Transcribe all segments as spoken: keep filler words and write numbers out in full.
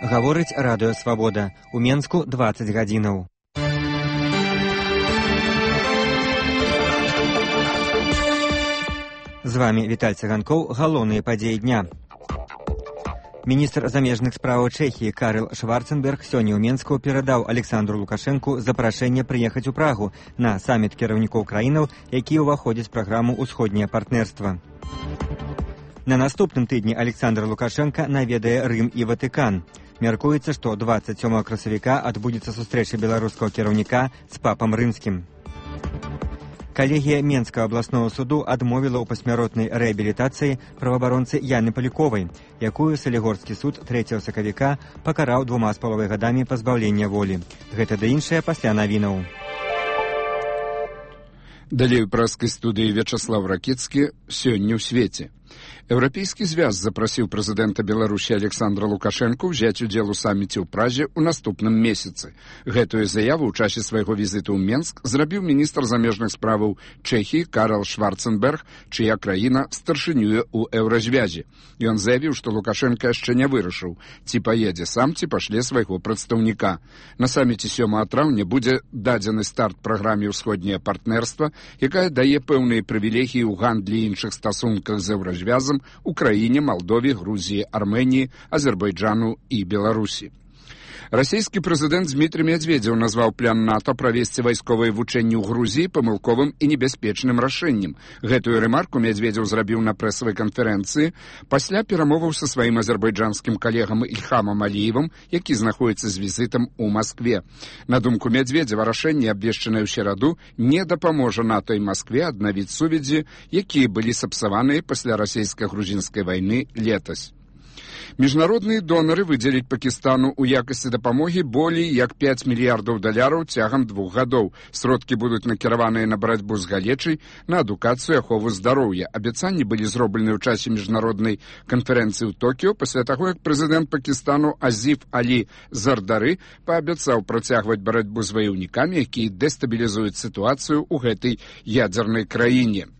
Гаворыць радыё «Свабода». У Менску дваццаць гадзінаў. З вами Віталь Цыганкоў. Галоўныя падзеі дня. Міністр замежных спраў Чэхіі Карл Шварценберг сёння ў Менску перадаў Александру Лукашэнку запрашэнне прыехаць у Прагу на саміт кіраўнікоў краінаў, які ўваходзіць у праграму «Усходняе партнерства». На наступным тыдні Александр Лукашенко наведае Рым і Ватыкан. Мяркуецца, што дваццаць сёмага красавіка адбудзецца сустрэча беларускага кіраўніка з папам рымскім. Калегія Менскага абласнога суду адмовіла ў пасмяротнай рэабілітацыі праваабаронцы Яны Паліковай, якую Салігорскі суд трэцяга сакавіка пакараў двума з паловай гадамі пазбаўлення волі. Гэта ды іншае пасля навінаў. Далей у праскай студыі Вячаслав Ракіцкі «Сёння ў свеце». Еўрапейскі звяз запрасіў прэзідэнта Беларусі Александра Лукашэнку ўзяць удзел у саміце ў Празе ў наступным месяцы. Гэтую заяву ў часе свайго візіту ў Менск зрабіў міністр замежных справаў Чэхіі Карл Шварценберг, чыя краіна старшынюе ў еўразвязе. Ён заявіў, што Лукашэнка яшчэ не вырашыў, ці паедзе сам, ці пашле свайго прадстаўніка. На саміце сёмага траўня будзе дадзены старт праграме «Усходняе партнерства», якая дае пэўныя прывілегіі ў гандлі і іншых стасунках з еўразвязам Украіне, Малдове, Грузіі, Арменіі, Азербайджану і Беларусі. Расійскі прэзідэнт Дмітрый Медведзеў назваў план НАТО правесці вайсковыя вучэнні ў Грузіі памылковым і небяспечным рашэннем. Гэтую рэмарку Медведзеў зрабіў на прэсавай канферэнцыі пасля перамоваў са сваім азербайджанскім калегам Ільхамам Аліевым, які знаходзіцца з візітам у Маскве. На думку Медведзева, рашэнне, абвешчанае ў сераду, не дапаможа НАТО і Маскве аднавіць сувязі, якія былі сапсаваныя пасля расійска-грузінскай вайны летась. Міжнародныя донары выдзеліць Пакістану ў якасці дапамогі болей як пяць мільярдаў даляраў цягам двух гадоў. Сродкі будуць накіраваныя на барацьбу з галечай, на адукацыю, ахову здароўя. Абяцанні былі зроблены ў часе міжнароднай канферэнцыі ў Токіо пасля таго, як прэзідэнт Пакістану Азіф Алі Зардары паабяцаў працягваць барацьбу з ваяўнікамі, якія дэстабілізуюць сітуацыю ў гэтай ядзернай краіне.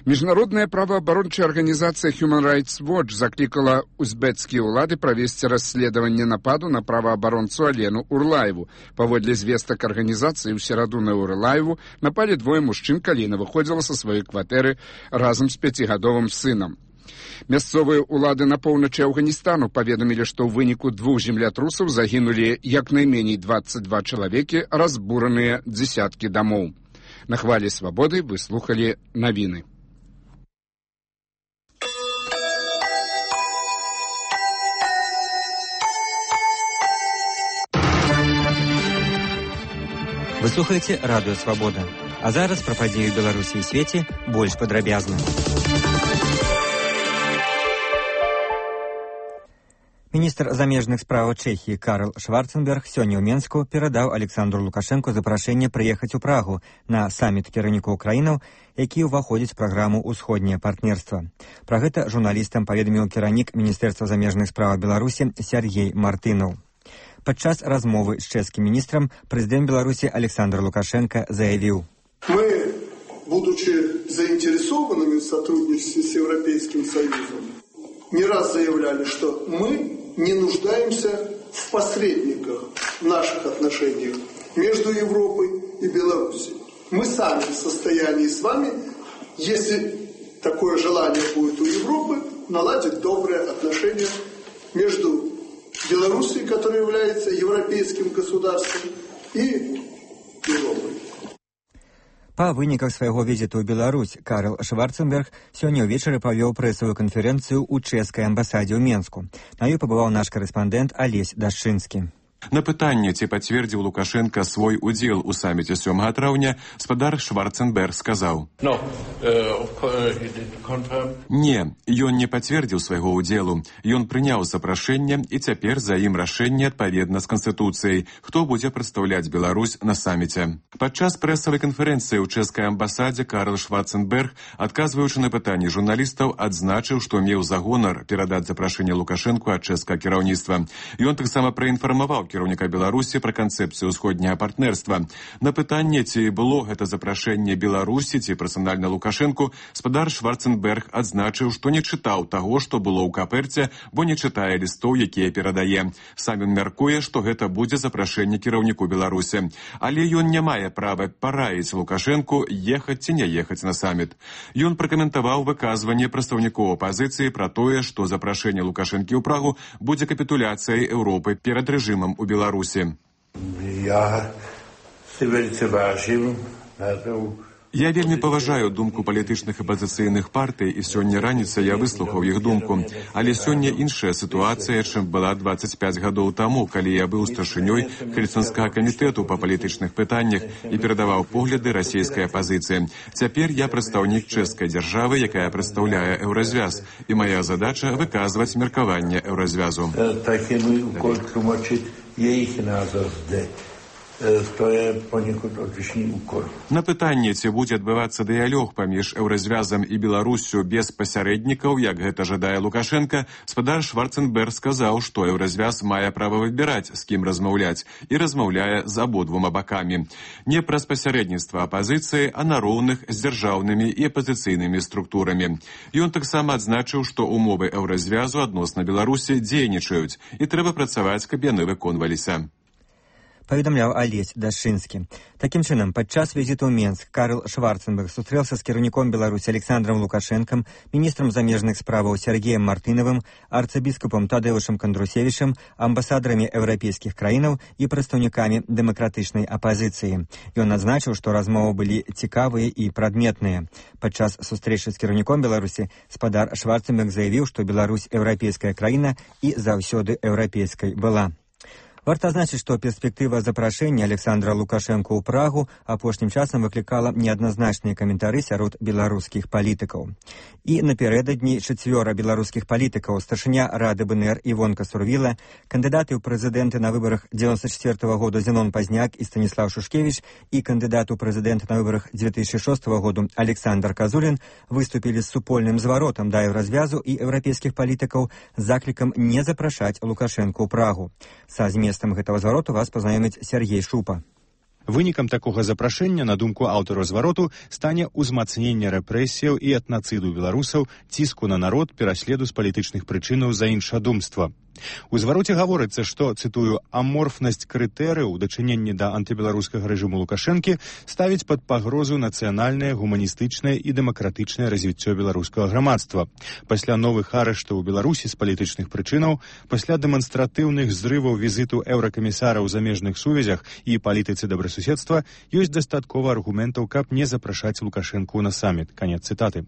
Міжнародная праваабарончая арганізацыя Human Rights Watch заклікала узбецкія ўлады правесці расследаванне нападу на праваабаронцу Алену Урлаеву. Паводле звестак арганізацыі, у сераду на Урлаеву напалі двое мужчын, калі яна выходзіла са сваёй кватэры разам з пяцігадовым сынам. Мясцовыя ўлады на поўначы Афганістану паведамілі, што ў выніку двух землятрусаў загінулі як найменей дваццаць два чалавекі, разбураныя дзесяткі дамоў. На хвалі свабоды вы слухалі навіны. Вы слухаеце радыё «Свабода». А зараз пра падзеі ў Беларусі і свеце больш падрабязна. Міністр замежных спраў Чэхіі Карл Шварценберг сёння ў Менску перадаў Александру Лукашэнку запрашэнне прыехаць у Прагу на саміт кіраўнікоў краінаў, які ўваходзіць у праграму «Усходняе партнерства». Пра гэта журналістам паведаміў кіраўнік Міністэрства замежных спраў Беларусі Сергей Мартынаў. Падчас размовы з чэшскім міністрам прэзідэнт Беларусі Александр Лукашенко заявіў: «Мы, будучи заинтересованными в сотрудничестве с Европейским Союзом, не раз заявляли, что мы не нуждаемся в посредниках в наших отношениях между Европой и Белоруссией. Мы сами в состоянии с вами, если такое желание будет у Европы, наладить добрые отношения между Белоруссией, которая является европейским государством, и Европой». Па выніках свайго візіту ў Беларусь Карл Шварценберг сёння ўвечары правёў прэсавую канферэнцыю ў чэшскай амбасадзе ў Менску. На ёй пабываў наш карэспандэнт Алесь Дашчынскі. На пытанне, ці пацвердзіў Лукашенко свой удзел у саміце сёмага траўня, спадар Шварценберг сказаў: no, uh, Не, ён не пацвердзіў свайго ўдзелу. Ён прыняў запрашэнне, і цяпер за ім рашэнне адпаведна з Канстытуцыяй, хто будзе прадстаўляць Беларусь на саміце. Падчас прэсавай канферэнцыі ў чэшскай амбасадзе Карл Шварценберг, адказваючы на пытанні журналістаў, адзначыў, што меў за гонар перадаць запрашэнне Лукашэнку ад чэшскага кіраўніцтва. Ён таксама праінфармаваў кіраўніка Беларусі пра канцэпцыю ўсходняга партнерства. На пытанне, ці было гэта запрашэнне Беларусі ці персанальна Лукашэнку, спадар Шварценберг адзначыў, што не чытаў таго, што было ў каперце, бо не чытае лістоў, якія перадае. Сам ён мяркуе, што гэта будзе запрашэнне кіраўніку Беларусі. Але ён не мае права параіць Лукашэнку ехаць ці не ехаць на саміт. Ён пракаментаваў выказванне прадстаўнікоў апазіцыі пра тое, што запрашэнне Лукашэнкі ў Прагу будзе капітуляцыяй Еўропы перад рэжымам у Беларусі. Я вельмі vážim Я вельмі паважаю думку палітычных апазіцыйных партый, і сёння раніцай я выслухаў іх думку. Але сёння іншая сітуацыя, чым была дваццаць пяць гадоў таму, калі я быў старшынёй Хельсінскага камітэту па палітычных пытаннях і перадаваў погляды расійскай апазіцыі. Цяпер я прадстаўнік чэшскай дзяржавы, якая прадстаўляе Еўразвяз, і мая задача выказваць меркаванне Еўразвязу. To je poniekud odlišný úkol. На пытанне, ці будзе адбывацца дыялог паміж Еўразвязам і Беларуссю без пасярэднікаў, як гэта жадае Лукашенка, спадар Шварценберг сказаў, што Еўразвяз мае права выбіраць, з кім размаўляць, і размаўляе з абодвума бакамі. Не праз пасярэдніцтва апазіцыі, а на роўных з дзяржаўнымі і апазіцыйнымі структурамі. Ён таксама адзначыў, што умовы Еўразвязу адносна Беларусі дзейнічаюць, і трэба працаваць, каб яны выконваліся. Паведамляў Алесь Дашчынскі. Такім чынам, падчас візіту ў Менск Карл Шварценберг сустрэўся з кіраўніком Беларусі Александром Лукашэнкам, міністрам замежных справаў Сергеем Мартынавым, арцыбіскупам Тадэўшам Кандрусевічам, амбасадарамі еўрапейскіх краінаў і прадстаўнікамі дэмакратычнай апазіцыі. Ён адзначыў, што размовы былі цікавыя і прадметныя. Падчас сустрэчы з кіраўніком Беларусі спадар Шварценберг заявіў, што Беларусь еўрапейская краіна і заўсёды еўрапейскай была. Варта адзначыць, што перспектыва запрашэння Александра Лукашэнку ў Прагу апошнім часам выклікала неадназначныя каментары сярод беларускіх палітыкаў. І напярэдадні чацвёра беларускіх палітыкаў, старшыня Рады БНР Івонка Сурвіла, кандыдаты ў прэзідэнты на выбарах дзевяносто четвёртого года Зенон Пазняк і Станіслав Шушкевіч і кандыдат у прэзідэнты на выбарах две тысячи шостого года Александр Казулін выступілі з супольным зваротам да еўразвязу і еўрапейскіх палітыкаў з заклікам не запрашаць Лукашэнку ў Прагу. Са зместам гэтага звароту вас пазнаёміць Сергей Шупа. Вынікам такога запрашэння, на думку аўтараў звароту, стане ўзмацненне рэпрэсіяў і этнацыду беларусаў, ціску на народ, пераследу з палітычных прычынаў за іншадумства. У звароце гаворыцца, што, цытую, аморфнасць крытэрыяў у дачыненні да антыбеларускага рэжыму Лукашэнкі ставіць пад пагрозу нацыянальнае, гуманістычнае і дэмакратычнае развіццё беларускага грамадства. Пасля новых арыштаў у Беларусі з палітычных прычынаў, пасля дэманстратыўных зрываў візіту еўракамісара ў замежных сувязях і палітыцы добрасуседства, ёсць дастаткова аргументаў, каб не запрашаць Лукашэнку на саміт. Канец цытаты.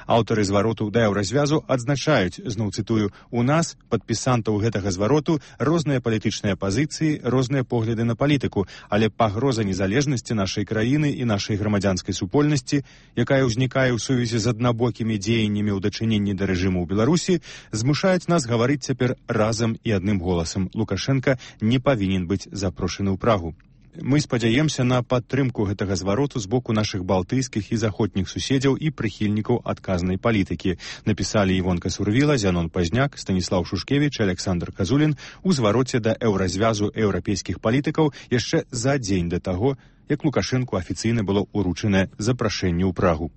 Аўтары звароту да еўразвязу адзначаюць, зноў цытую, у нас, падпісантаў гэтага звароту, розныя палітычныя пазіцыі, розныя погляды на палітыку, але пагроза незалежнасці нашай краіны і нашай грамадзянскай супольнасці, якая ўзнікае ў сувязі з аднабокімі дзеяннямі ў дачыненні да рэжыму ў Беларусі, змушаюць нас гаварыць цяпер разам і адным голасам. Лукашэнка не павінен быць запрошаны ў Прагу. Мы спадзяемся на падтрымку гэтага звароту з боку нашых балтыйскіх і заходніх суседзяў і прыхільнікаў адказнай палітыкі, напісалі Івонка Сурвіла, Зянон Пазняк, Станіслав Шушкевіч, Александр Казулін у звароце да еўразвязу еўрапейскіх палітыкаў яшчэ за дзень да таго, як Лукашэнку афіцыйна было ўручанае запрашэнне ў Прагу.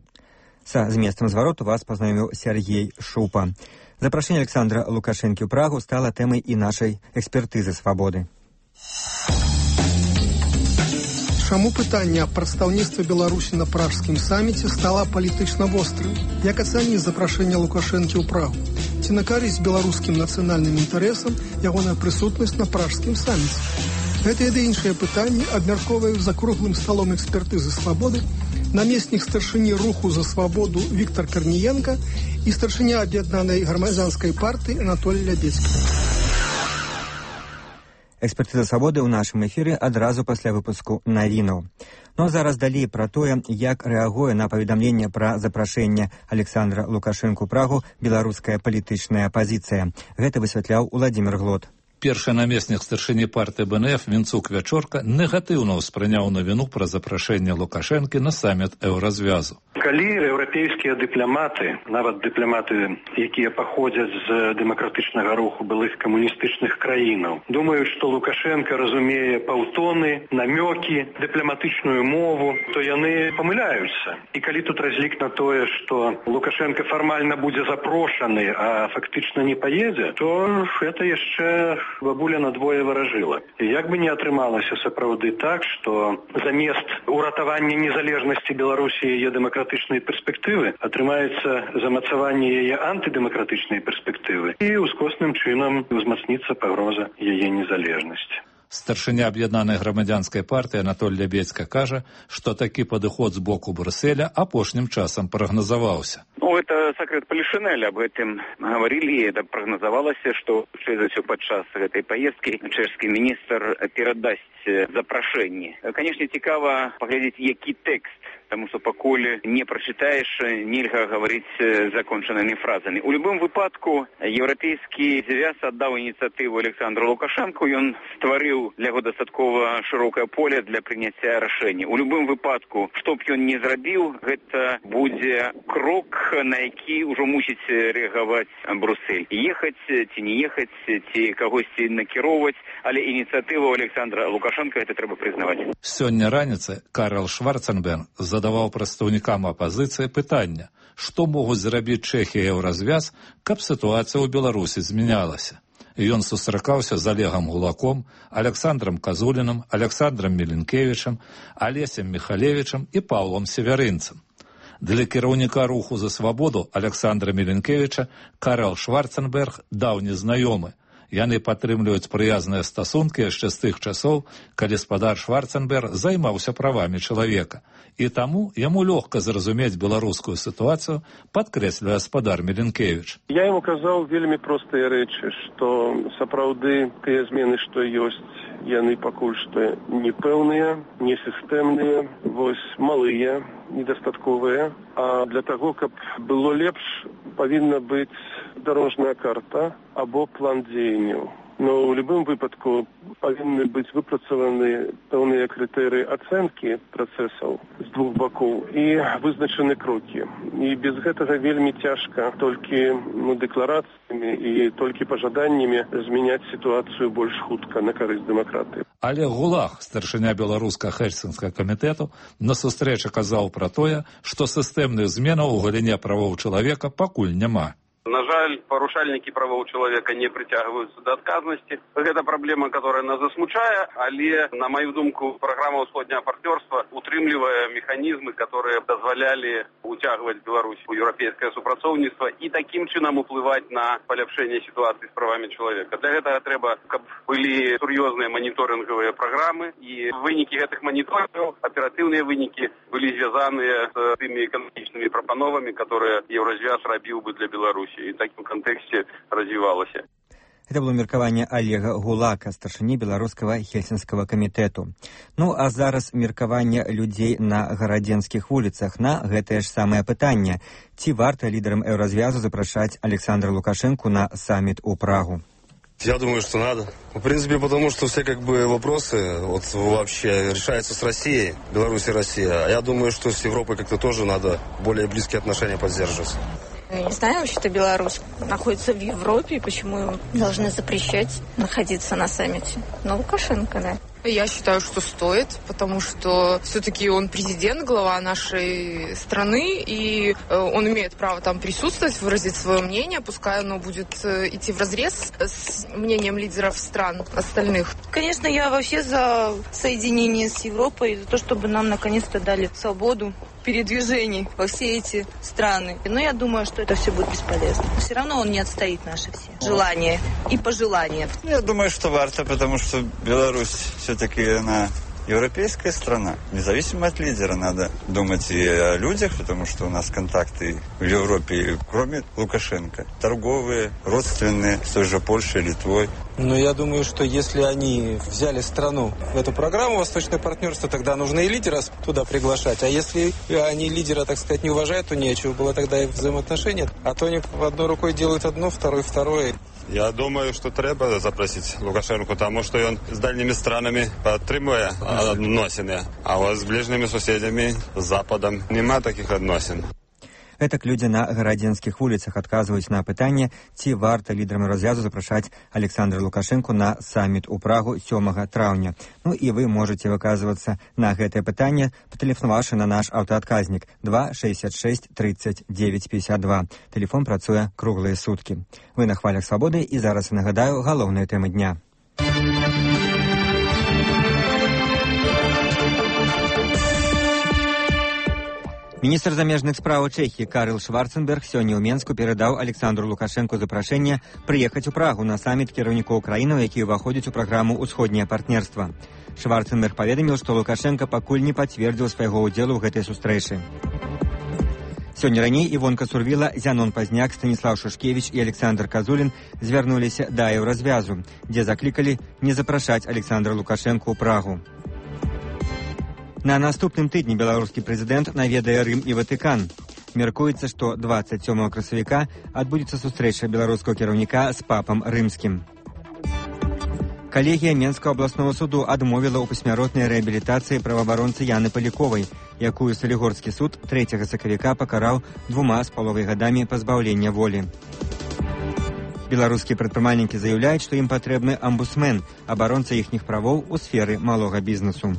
Са зместам звароту вас пазнаёміў Сергей Шупа. Запрашэнне Александра Лукашэнкі ў Прагу стала тэмай і нашай экспертызы свабоды. Чаму пытанне аб прадстаўніцтве Беларусі на пражскім саміце стала палітычна вострым? Як ацаніць запрашэнне Лукашэнкі ў Прагу? Ці на карысць беларускім нацыянальным інтарэсам ягоная прысутнасць на пражскім саміце? Гэтыя ды іншыя пытанні абмяркоўваюць за круглым сталом экспертызы свабоды намеснік старшыні руху за свабоду Віктор Карніенка і старшыня аб'яднанай грамадзянскай партыі Анатолій Лябецкі. Экспертыза свабоды ў нашым эфіры адразу пасля выпуску навінаў. Ну а зараз далей пра тое, як рэагуе на паведамленне пра запрашэнне Александра Лукашэнку ў Прагу беларуская палітычная апазіцыя. Гэта высвятляў Уладзімір Глот. Першы намеснік старшыні партыі бэ эн эф Мінцук Вячорка негатыўна ўспрыняў навіну пра запрашэнне Лукашэнкі на саміт еўразвязу. Калі еўрапейскія дыпламаты, нават дыпламаты, якія паходзяць з дэмакратычнага руху былых камуністычных краінаў, думаюць, што Лукашенко разумее паўтоны, намёкі, дыпламатычную мову, то яны памыляюцца. І калі тут разлік на тое, што Лукашенко фармальна будзе запрошаны, а фактычна не паедзе, то гэта яшчэ бабуля надвое варажыла. І як бы не атрымалася сапраўды так, што замест уратавання незалежнасці Беларусі яе дэмакратычнай перспектывы атрымаецца замацаванне яе антыдэмакратычнай перспектывы і ускосным чынам узмацніцца пагроза яе незалежнасці. Старшыня аб'яднанай грамадзянскай партыі Анатоль Лябедзька кажа, што такі падыход з боку Брюсселя апошнім часам прагназаваўся. Ну, это секрет Полишинеля, об этом говорили, и это прогнозовалось, что через все подчас этой поездки чешский министр передаст запрошение. Конечно, цікаво поглядеть, який текст, потому что поколь не прочитаешь, нельзя говорить законченными фразами. У любом выпадку Европейский Союз отдал инициативу Александру Лукашенку, и он створил для его достатково широкое поле для принятия решений. У любом выпадку, что бы он ни сделал, это будет крок, на які ўжо мусіць рэагаваць Брюссель. Ехаць ці не ехаць, ці кагосьці накіроўваць, але ініцыятыву Александра Лукашенка гэта трэба прызнаваць. Сёння раніцай Карл Шварценберг задаваў прадстаўнікам апазіцыі пытанне, што могуць зрабіць Чэхія і Еўразвяз, каб сітуацыя ў Беларусі змянялася. Ён сустракаўся з Олегам Гулаком, Александром Казуліным, Александром Міленкевічам, Алесем Міхалевічам і Паўлом Северынцам. Для кіраўніка руху за свабоду Александра Міленкевіча Карл Шварценберг даўні знаёмы. Яны падтрымліваюць прыязныя стасункі яшчэ з тых часоў, калі спадар Шварценберг займаўся правамі чалавека. І таму яму лёгка зразумець беларускую сітуацыю, падкрэслівае спадар Міленкевіч. Я ему казаў вельмі простыя рэчы, што сапраўды тыя змены, што ёсць, яны пакуль што непэўныя, несістэмныя, вось малыя, недастатковыя. А для таго, каб было лепш, павінна быць дарожная карта або план дзеянняў. Но ў любым выпадку павінны быць выпрацаваны пэўныя крытэрыі ацэнкі працэсаў з двух бакоў і вызначаны крокі. І без гэтага вельмі цяжка толькі ну, дэкларацыямі і толькі пажаданнямі змяняць сітуацыю больш хутка на карысць дэмакратыі. Олег Гулак, старшыня беларуска-хельсінскага камітэту, на сустрэчы казаў пра тое, што сістэмных зменаў у галіне правоў чалавека пакуль няма. На жаль, парушальнікі правоў чалавека не прыцягваюцца да адказнасці. Гэта праблема, которая нас засмучае, але, на маю думку, праграма ўсходняга партнёрства утрымлівае механізмы, которые дазвалялі уцягваць Беларусь у еўрапейскае супрацоўніцтва і такім чынам уплываць на паляпшэнне сітуацыі з правамі чалавека. Для гэтага трэба, каб былі сур'ёзныя маніторынгавыя праграмы, і вынікі гэтых маніторынгаў, аператыўныя вынікі, былі звязаныя з тымі эканамічнымі прапановамі, которые Еўразвяз рабіў бы для Беларусі. І в такім кантэксце развівалася. Это было меркаванне Олега Гулака, старшыні беларускага хельсінскага камітэту. Ну, а зараз меркаванне людзей на гарадзенскіх вуліцах на гэтае ж самае пытанне. Ці варта лідарам еўразвязу запрашаць Александра Лукашенку на саммит у Прагу? Я думаю, что надо. В принципе, потому что все как бы вопросы вот вообще решаются с Россией, Беларусь и Россия. А я думаю, что с Европой как-то тоже надо более близкие отношения поддерживать. Я не знаю, вообще-то Беларусь находится в Европе, и почему им должны запрещать находиться на саммите? Но Лукашенко, да. Я считаю, что стоит, потому что все-таки он президент, глава нашей страны, и он имеет право там присутствовать, выразить свое мнение, пускай оно будет идти вразрез с мнением лидеров стран остальных. Конечно, я вообще за соединение с Европой, за то, чтобы нам наконец-то дали свободу передвижений во все эти страны. Но я думаю, что это все будет бесполезно. Все равно он не отстоит наши все желания и пожелания. Я думаю, что варто, потому что Беларусь все-таки она европейская страна. Независимо от лидера надо думать и о людях, потому что у нас контакты в Европе, кроме Лукашенко, торговые, родственные, с той же Польшей, Литвой. Но я думаю, что если они взяли страну в эту программу «Восточное партнерство», тогда нужно и лидера туда приглашать. А если они лидера, так сказать, не уважают, то нечего было тогда их взаимоотношения. А то они одной рукой делают одно, второй второе. Я думаю, что треба запросить Лукашенко, потому что он с дальними странами подтримує отношения, а вот с ближними соседями, с Западом, нема таких отношений. Гэтак людзі на гарадзенскіх вуліцах адказваюць на пытанне, ці варта лідарам развязу запрашаць Александра Лукашенко на саміт у Прагу сёмага траўня. Ну і вы можаце выказвацца на гэтае пытанне, патэлефанаваўшы на наш аўтаадказнік два шэсцьдзесят шэсць тридцать девять пятьдесят два. Тэлефон працуе круглыя суткі. Вы на хвалях свабоды, і зараз нагадаю галоўныя тэмы дня. Міністр замежных справаў Чэхіі Карл Шварценберг сёння ў Менску перадаў Александру Лукашенко запрашэнне прыехаць у Прагу на саміт кіраўнікоў краінаў, які ўваходзяць у праграму «Усходняе партнерства». Шварценберг паведаміў, што Лукашенко пакуль не пацвердзіў свайго ўдзелу ў гэтай сустрэчы. Сёння раней Івонка Сурвіла, Зянон Пазняк, Станіслав Шушкевіч і Александр Казулін звярнуліся да еўразвязу, дзе заклікалі не запрашаць Александра Лукашенко ў Прагу. На наступным тыдні беларускі прэзідэнт наведае Рым і Ватыкан. Мяркуецца, што двадцать сёмага красавіка адбудзецца сустрэча беларускага кіраўніка з папам рымскім. Калегія Менскага абласнога суду адмовіла ў пасмяротнай рэабілітацыі праваабаронцы Яны Паліковай, якую Салігорскі суд трэцяга сакавіка пакараў двума з паловай гадамі пазбаўлення волі. Беларускія прадпрымальнікі заяўляюць, што ім патрэбны амбусмен, абаронца іхніх правоў у сферы малога бізнесу.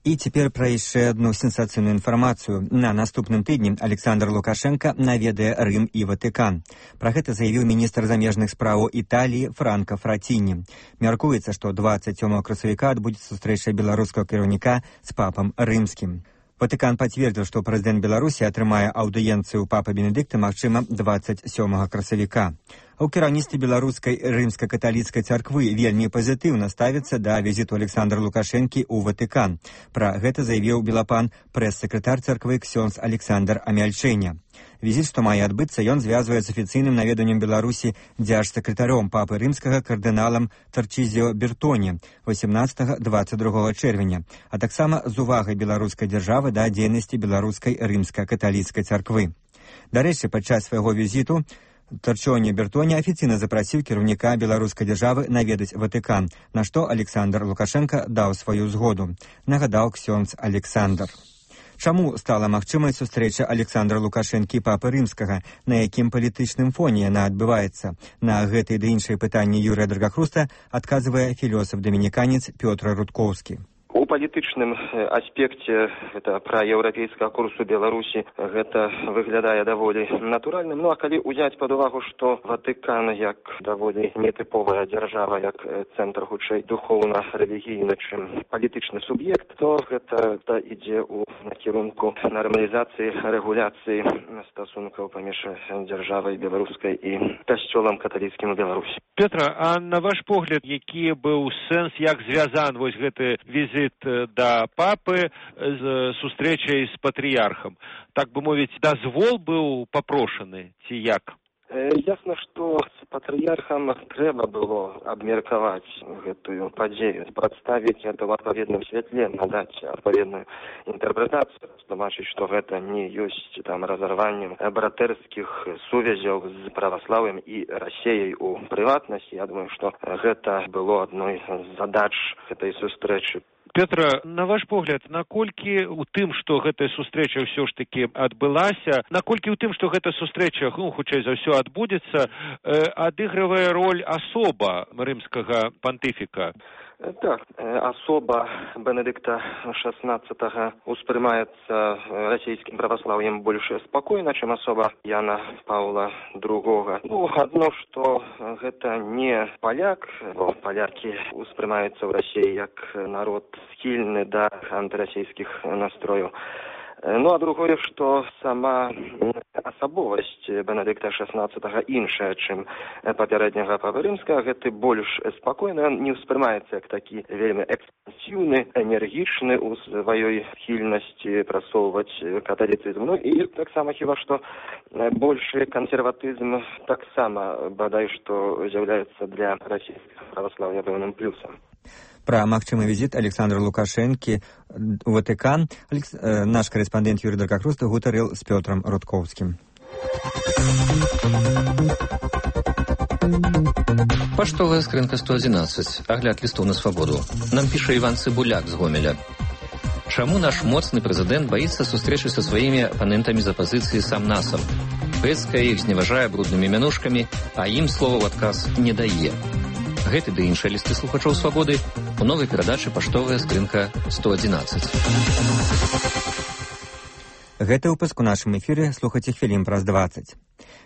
І цяпер пра яшчэ адну сенсацыйную інфармацыю. На наступным тыдні Александр Лукашенко наведае Рым і Ватыкан. Пра гэта заявіў міністр замежных справаў Італіі Франка Фраціні. Мяркуецца, што двадцать сёмага красавіка адбудзецца сустрэча беларускага кіраўніка з папам рымскім. Ватыкан пацвердзіў, што прэзідэнт Беларусі атрымае аўдыенцыю ў папы Бенедыкта, магчыма, двадцать сёмага красавіка. А ў кіраўніцтве беларускай рымска-каталіцкай царквы вельмі пазітыўна ставіцца да візіту Александра Лукашэнкі ў Ватыкан. Пра гэта заявіў белапан прэс-сакратар царквы ксёндз Александр Амяльчэня. Візіт, што мае адбыцца, ён звязвае з афіцыйным наведаннем Беларусі дзярж-сакратаром папы рымскага кардыналам Тарчызіо Бертоне восемнадцатага двадцать другога чэрвеня, а таксама з увагай беларускай дзяржавы да дзейнасці беларускай рымска-каталіцкай царквы. Дарэчы, падчас свайго візіту Тарчоне Бертоне афіцыйна запрасіў кіраўніка беларускай дзяржавы наведаць Ватыкан, на што Александр Лукашенко даў сваю згоду, нагадаў ксёндз Александр. Чаму стала магчымай сустрэча Александра Лукашэнкі і папы рымскага, на якім палітычным фоне яна адбываецца? На гэтыя ды іншыя пытанні Юрыя Драгахруста адказвае філёсаф-дамініканец Пётр Рудкоўскі. У палітычным аспекце гэта пра еўрапейскага курсу Беларусі гэта выглядае даволі натуральным. Ну а калі ўзяць пад увагу, што Ватыкан як даволі нетыповая дзяржава, як цэнтр хутчэй духоўна-рэлігійны, чым палітычны суб'ект, то гэта да, ідзе ў накірунку нармалізацыі, рэгуляцыі стасункаў паміж дзяржавай беларускай і касцёлам каталіцкім у Беларусі. Петра, а на ваш погляд, які быў сэнс, як звязан вось гэты візит да папы з сустрэчай з патрыярхам? Так бы мовіць, дазвол быў папрошаны, ці як? Ясна, што з патрыярхам трэба было абмеркаваць гэтую падзею, прадставіць гэта ў адпаведным святле, надаць адпаведную інтэрпрэтацыю, тлумачыць, што гэта не ёсць там разарваннем братэрскіх сувязяў з праваслаўем і Расіяй у прыватнасці. Я думаю, што гэта было адной з задач гэтай сустрэчы. Петра, на ваш погляд, наколькі у тым, што гэтая сустрэча ўсё ж такі адбылася, наколькі ў тым, што гэта сустрэча, ну, хутчэй за ўсё адбудзецца, э, адыгрывае роль асоба рымскага пантыфіка? Так, асоба Бенедыкта шестнадцатого успрымаецца расійскім праваслаўем больш спакойна, чым асоба Яна Паўла другога. Ну, адно, што гэта не паляк, бо палякі успрымаюцца ў Расіі як народ схільны да антырасійскіх настрояў. Ну, а другое, што сама асабовасць Бенедыкта шестнадцатага іншая, чым папярэдняга папы рымскага. Гэты больш спакойны, не ўспрымаецца як такі вельмі экспансіўны, энергічны ў сваёй схільнасці прасоўваць каталіцызм. Ну і таксама хіба што большы кансерватызм таксама бадай што з'яўляецца для расійскага праваслаўя пэўным плюсам. Пра магчымы візіт Александра Лукашэнкі у Ватыкан Алекс... наш карэспандэнт Юрый Даркакруст гутарыў з Пётрам Рудкоўскім. Паштовая скрынка сто адзінаццаць. Агляд лістоў на свабоду. Нам піша Іван Цыбуляк з Гомеля. Чаму наш моцны прэзідэнт баіцца сустрэчы са сваімі апанентамі з апазіцыі сам-насам? Пэцкая іх зневажае бруднымі мянушкамі, а ім слова ў адказ не дае. Гэты ды іншыя лісты слухачоў свабоды у новай перадачы «Паштовая скрынка сто адзінаццаць». Гэты выпуск у нашым эфіры слухайце хвілін праз дваццаць.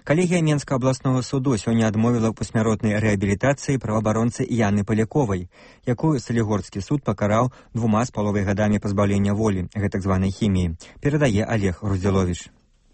Калегія Менскага абласнога суду сёння адмовіла ў пасмяротнай рэабілітацыі праваабаронцы Яны Паляковай, якую Салігорскі суд пакараў двума з паловай гадамі пазбаўлення волі, гэтак званай хіміі, перадае Олег Груздзіловіч.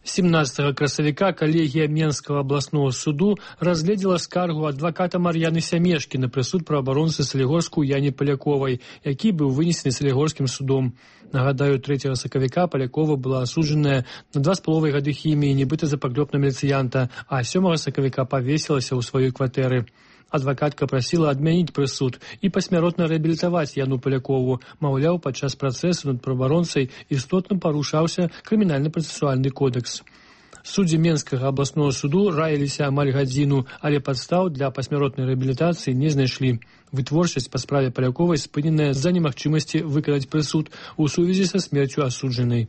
семнадцатага красавіка калегія Менскага абласнога суду разгледзела скаргу адваката Мар'яны Сямешкі на прысуд праваабаронцы Салігорску Яне Паляковай, які быў вынесены Салігорскім судом. Нагадаю, трэцяга сакавіка Палякова была асуджаная на два з паловай гады хіміі, нібыта за паклёп на міліцыянта, а сёмага сакавіка павесілася ў сваёй кватэры. Адвакатка прасіла адмяніць прысуд і пасмяротна рэабілітаваць Яну Палякову. Маўляў, падчас працэсу над праваабаронцай істотна парушаўся крымінальна-працэсуальны кодэкс. Суддзі Менскага абласнога суду раіліся амаль гадзіну, але падстаў для пасмяротнай рэабілітацыі не знайшлі. Вытворчасць па справе Паляковай спыненая з-за немагчымасці выканаць прысуд у сувязі са смерцю асуджанай.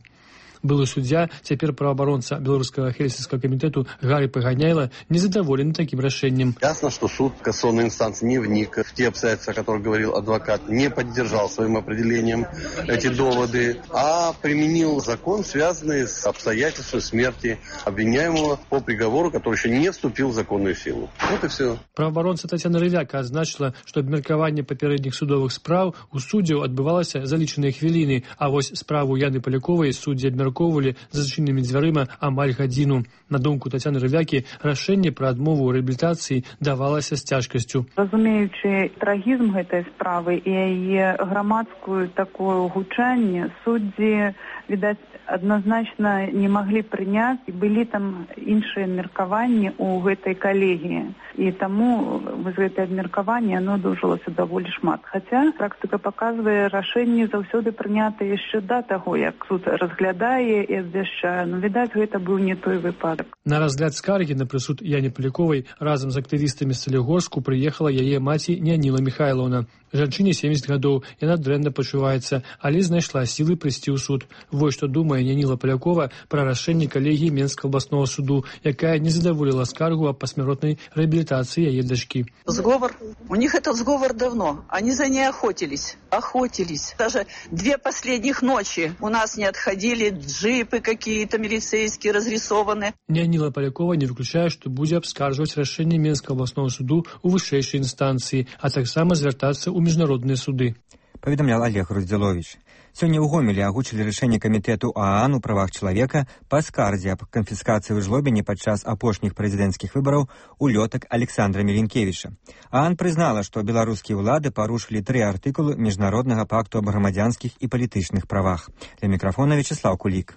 Былы суддзя, цяпер праваабаронца Беларускага хельсінскага камітэту Гарри Паганяйла, незадоволен таким решением. Ясно, что суд кассационной инстанции не вник в те обстоятельства, о которых говорил адвокат, не поддержал своим определением эти доводы, а применил закон, связанный с обстоятельством смерти обвиняемого по приговору, который еще не вступил в законную силу. Вот и все. Праваабаронца Тацяна Рывяка адзначыла, што абмеркаванне папярэдніх судовых спраў у суддзяў адбывалася за лічаныя хвіліны, а вось справу Яны Паляковай суддзі абмеркавалі за зачыненымі дзвярыма амаль гадзіну. На думку Тацяны Рывякі, рашэнне пра адмову рэабілітацыі давалася з цяжкасцю. Разумеючы трагізм гэтай справы і яе грамадскую такое гучанне, суддзі, відаць, адназначна не маглі прыняць, і былі там іншыя меркаванні ў гэтай калегіі. І таму з гэтае абмеркаванне оно доўжылася даволі шмат. Хаця практыка паказвае, рашэнне заўсёды прынята яшчэ да таго, як суд разглядае і абвяшчае. Ну, відаць, гэта быў не той выпадак. На разгляд скаргі на прысуд Яне Паляковай разам з актывістамі з Салігорску прыехала яе маці Няніла Міхайлаўна. Жанчыне семьдесят гадоў, яна дрэнна пачуваецца, але знайшла сілы прыйсці ў суд. Вось што думае Няніла Палякова пра рашэнне калегіі Менскага абласнога суду, якая не задаволіла скаргу аб пасмяротнай рэабілітацыі яе дачкі. Сговор. У них этот сговор давно. Они за ней охотились. Охотились. Даже две последних ночи у нас не отходили джипы какие-то милицейские разрисованные. Няніла Палякова не выключае, што будзе абскаржваць рашэнне Менскага абласнога суду ў вышэйшай інстанцыі, а таксама звяртацца ў міжнародныя суды. Паведамлял Олег Груздзіловіч. Сёння ў Гомелі агучылі рашэнне камітэту ААН у правах чалавека па скардзе аб канфіскацыі ў жлобіне падчас апошніх прэзідэнцкіх выбараў улётак Александра Міленкевіча. ААН прызнала, што беларускія ўлады парушылі тры артыкулы міжнароднага пакту аб грамадзянскіх і палітычных правах. Для мікрафона Вячеслав Кулік.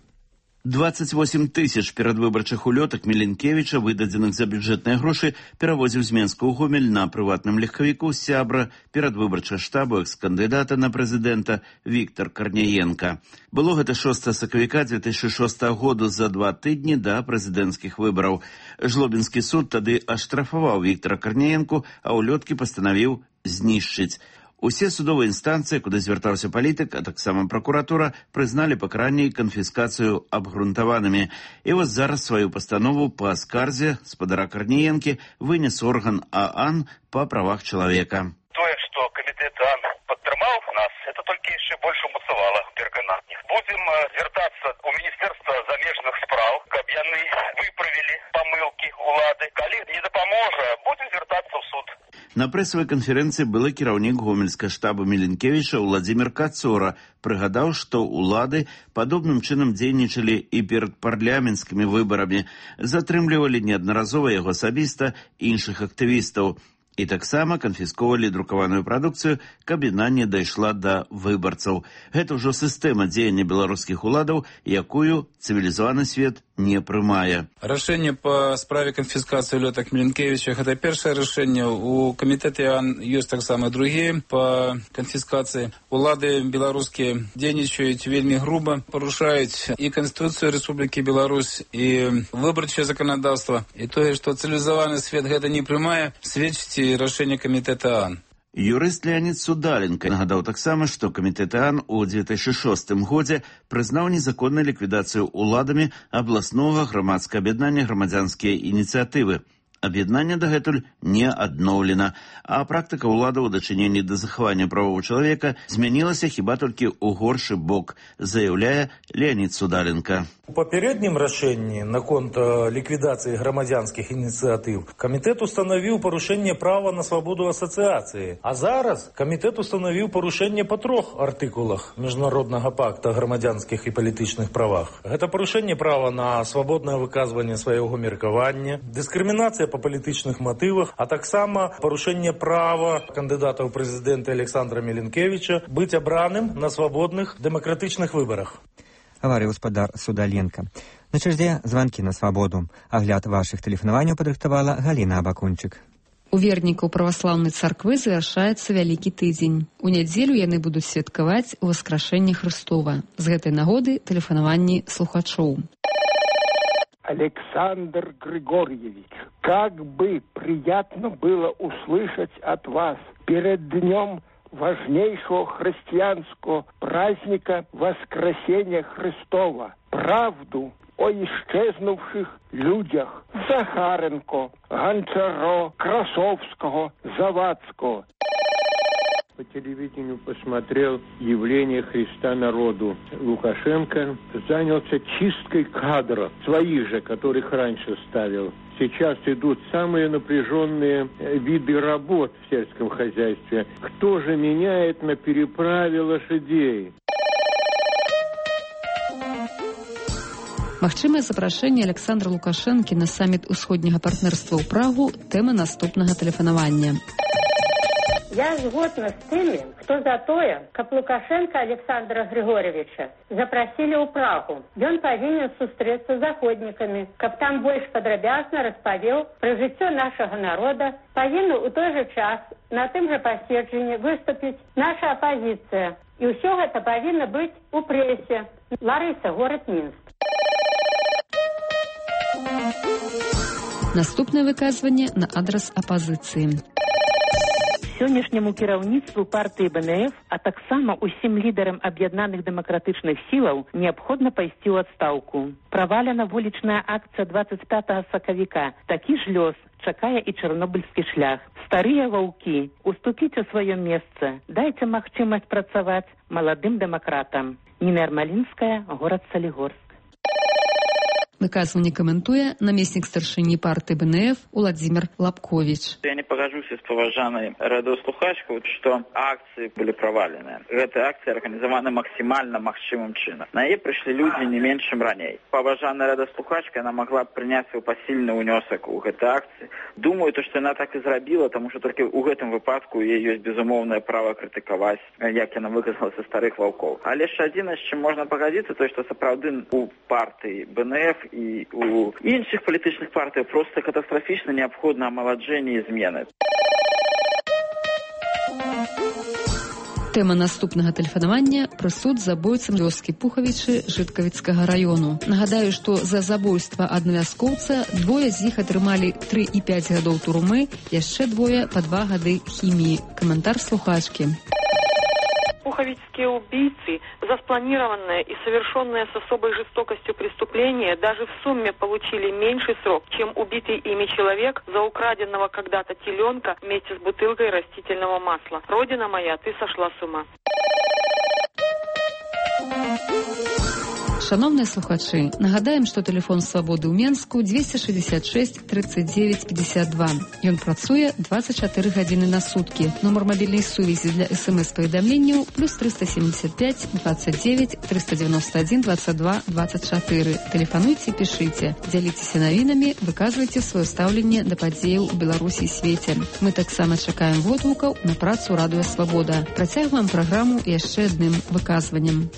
двадцать восемь тысяч перадвыбарчых улётак Міленкевіча, выдадзеных за бюджэтныя грошы, перавозіў з Менска ў Гомель на прыватным легкавіку сябра перадвыбарчага штабу экс-кандыдата на прэзідэнта Віктор Карняенка. Было гэта шостага сакавіка две тысячы шостага году, за два тыдні да прэзідэнцкіх выбараў. Жлобінскі суд тады аштрафаваў Віктора Карняенку, а улёткі пастанавіў знішчыць. Усе судовыя інстанцыі, куды звяртаўся палітык, а таксама пракуратура, прызналі пакаранне і канфіскацыю абгрунтаванымі. І вось зараз сваю пастанову па скарзе спадара Карняенкі вынес орган ААН па правах чалавека. Тое, што камітэт ААН падтрымаў нас, это толькі яшчэ больш умацавала перакананне. Будзем звяртацца ў Міністэрства замежных спраў, каб яны выправілі памылкі ўлады. Калі не дапаможа, будзем звяртацца ў суд. На прэсавай канферэнцыі былы кіраўнік гомельскага штаба Міленкевіча Владзімір Кацора прыгадаў, што ўлады падобным чынам дзейнічалі і перад парламенцкімі выбарамі, затрымлівалі неаднаразова яго асабіста іншых актывістаў і таксама канфісковалі друкаваную прадукцыю, каб яна не дайшла да выбарцаў. Гэта ўжо сістэма дзеяння беларускіх уладаў, якую цывілізаваны свет не прымае. Рашэнне па справе канфіскацыі улётак Міленкевіча — гэта першае рашэнне. У камітэце ёсць таксама другія па канфіскацыі. Улады беларускія дзейнічаюць вельмі груба, парушаюць і Канстытуцыю Рэспублікі Беларусь, і выбарчае заканадаўства. І тое, што цывілізаваны свет гэта не прымае, сведчыць і рашэнне камітэта ААН. Юрыст Леонид Судаленко нагадаў таксама, што камітэт ААН у две тысячы шостым годзе прызнаў незаконную ліквідацыю ўладамі абласнога грамадскага аб'яднання «Грамадзянскія ініцыятывы». Аб'яднанне дагэтуль не адноўлена, а практыка ўладаў у дачыненні да захавання правоў чалавека змянілася хіба толькі ў горшы бок, заяўляе Леонид Судаленко. У папярэднім рашэнні наконт ліквідацыі грамадзянскіх ініцыятыў камітэт устанавіў парушэнне права на свабоду асацыяцыі, а зараз камітэт устанавіў парушэнне па трох артыкулах Міжнароднага пакта грамадзянскіх і палітычных правах. Гэта парушэнне права на свабоднае выказванне свайго меркавання, дыскрымінацыя па палітычных матывах, а таксама парушэнне права кандыдата ў прэзідэнты Александра Міленкевіча быць абраным на свабодных дэмакратычных выбарах. Гаварыў гаспадар Судаленко. На чарзе званкі на свабоду. Агляд вашых тэлефанаванняў падрыхтавала Галіна Абакунчык. У вернікаў праваслаўнай царквы завяршаецца вялікі тыдзень. У нядзелю яны будуць святкаваць Васкрашэнне Хрыстова. З гэтай нагоды тэлефанаванні слухачоў. Александр Григорьевич, как бы приятно было услышать от вас перед днем важнейшего христианского праздника Воскресения Христова правду о исчезнувших людях Захаренко, Гончаро, Красовского, Завадского. По телевидению посмотрел явление Христа народу. Лукашенко занялся чисткой кадров, своих же, которых раньше ставил. Сейчас идут самые напряженные виды работ в сельском хозяйстве. Кто же меняет на переправе лошадей? Магчымае запрашэнне Александра Лукашэнкі на саміт усходняга партнерства ў Прагу — тэма наступнага тэлефанавання. Я згодна з тымі, хто за тое, каб Лукашенка Александра Григорьевича запросили ў Прагу. Ён павінен сустрэцца з заходнікамі, каб там больш падрабязна распавёў пра жыццё нашага народа. Павінна ў той жа час на тым жа паседжанні выступіць наша апазіцыя. І ўсё гэта павінна быць у прэсе. Ларыса, горад Мінск. Наступнае выказванне на адрас апазіцыі. Сённяшняму кіраўніцтву партыі БНФ, а таксама усім лідарам аб'яднаных дэмакратычных сілаў неабходна пайсці ў адстаўку. Правалена вулічная акцыя двадцать пятага сакавіка. Такі ж лёс чакае і чарнобыльскі шлях. Старыя ваўкі, уступіць у сваё месца. Дайце магчымасць працаваць маладым дэмакратам. Ніна Ярмалінская, горад Салігорск. Выказванне каментуе намеснік старшыні партыі БНФ Владзімір Лапковіч. Я не пагажуся з паважанай радыёслухачкаў, што акцыі былі праваленыя. Гэтыя акцыі арганізаваны максімальна магчымым чынам. На яе прыйшлі людзі не менш, чым раней. Паважаная радыёслухачка, яна магла б прыняць свой пасільны ўнёсак у гэтай акцыі. Думаю, то, што яна так і зрабіла, таму што толькі ў гэтым выпадку яе ёсць безумоўнае права крытыкаваць, як яна выказалася старых ваўкоў. Але яшчэ адзінае, з чым можна пагадзіцца, то што сапраўды у партыі БНФ і у іншых палітычных партыяў проста катастрафічна неабходна амаладжэнне і змены. Тэма наступнага тэлефанавання — прысуд забойцам вёскі Пухавічы Жыткавіцкага раёну. Нагадаю, што за забойства аднаго вяскоўца двое з іх атрымалі тры і пяць гадоў турмы, яшчэ двое па два гады хіміі. Каментар слухачкі. Пуховицкие убийцы за спланированное и совершенное с особой жестокостью преступление даже в сумме получили меньший срок, чем убитый ими человек за украденного когда-то теленка вместе с бутылкой растительного масла. Родина моя, ты сошла с ума. Шановныя слухачы, нагадаем, што тэлефон свабоды ў Менску двести шестьдесят шесть тридцать девять пятьдесят два. Ён працуе двадцать четыре гадзіны на суткі. Нумар мабільнай сувязі для эс-эм-эс-паведамленняў плюс триста семьдесят пять двадцать девять триста девяносто один двадцать два двадцать четыре. Тэлефануйце, пішыце, дзяліцеся навінамі, выказвайце сваё стаўленне да падзеяў у Беларусі і свеце. Мы таксама чакаем водгукаў на працу Радыё Свабода. Працягваем праграму яшчэ адным выказваннем.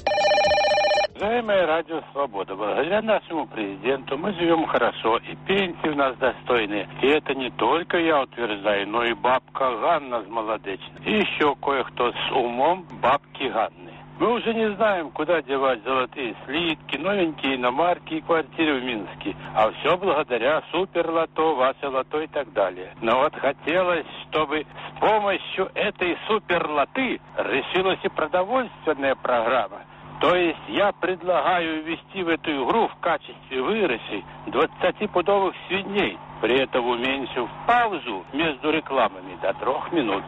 Уважаемое Радио Свобода, благодаря нашему президенту мы живем хорошо, и пенсии у нас достойные. И это не только я утверждаю, но и бабка Ганна с Молодечной. И еще кое-кто с умом бабки Ганны. Мы уже не знаем, куда девать золотые слитки, новенькие иномарки и квартиры в Минске. А все благодаря суперлото, ваше лото и так далее. Но вот хотелось, чтобы с помощью этой суперлоты решилась и продовольственная программа. То есть я предлагаю ввести в эту игру в качестве выигрышей двадцатипудовых свиней, при этом уменьшив паузу между рекламами до трех минут.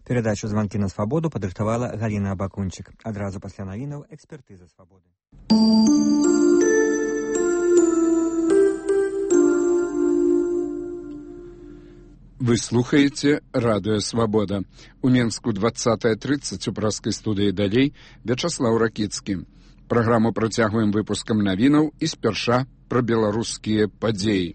Передачу «Звонки на свободу» падрыхтавала Галина Абакунчик. Адразу пасля навінаў экспертыза свабоды. Вы слухаете «Радио Свобода». У Менску двадцатая тридцать у праскай студыі далей Вячаслаў Ракіцкі. Праграму працягваем выпускам навінаў і спярша пра беларускія падзеі.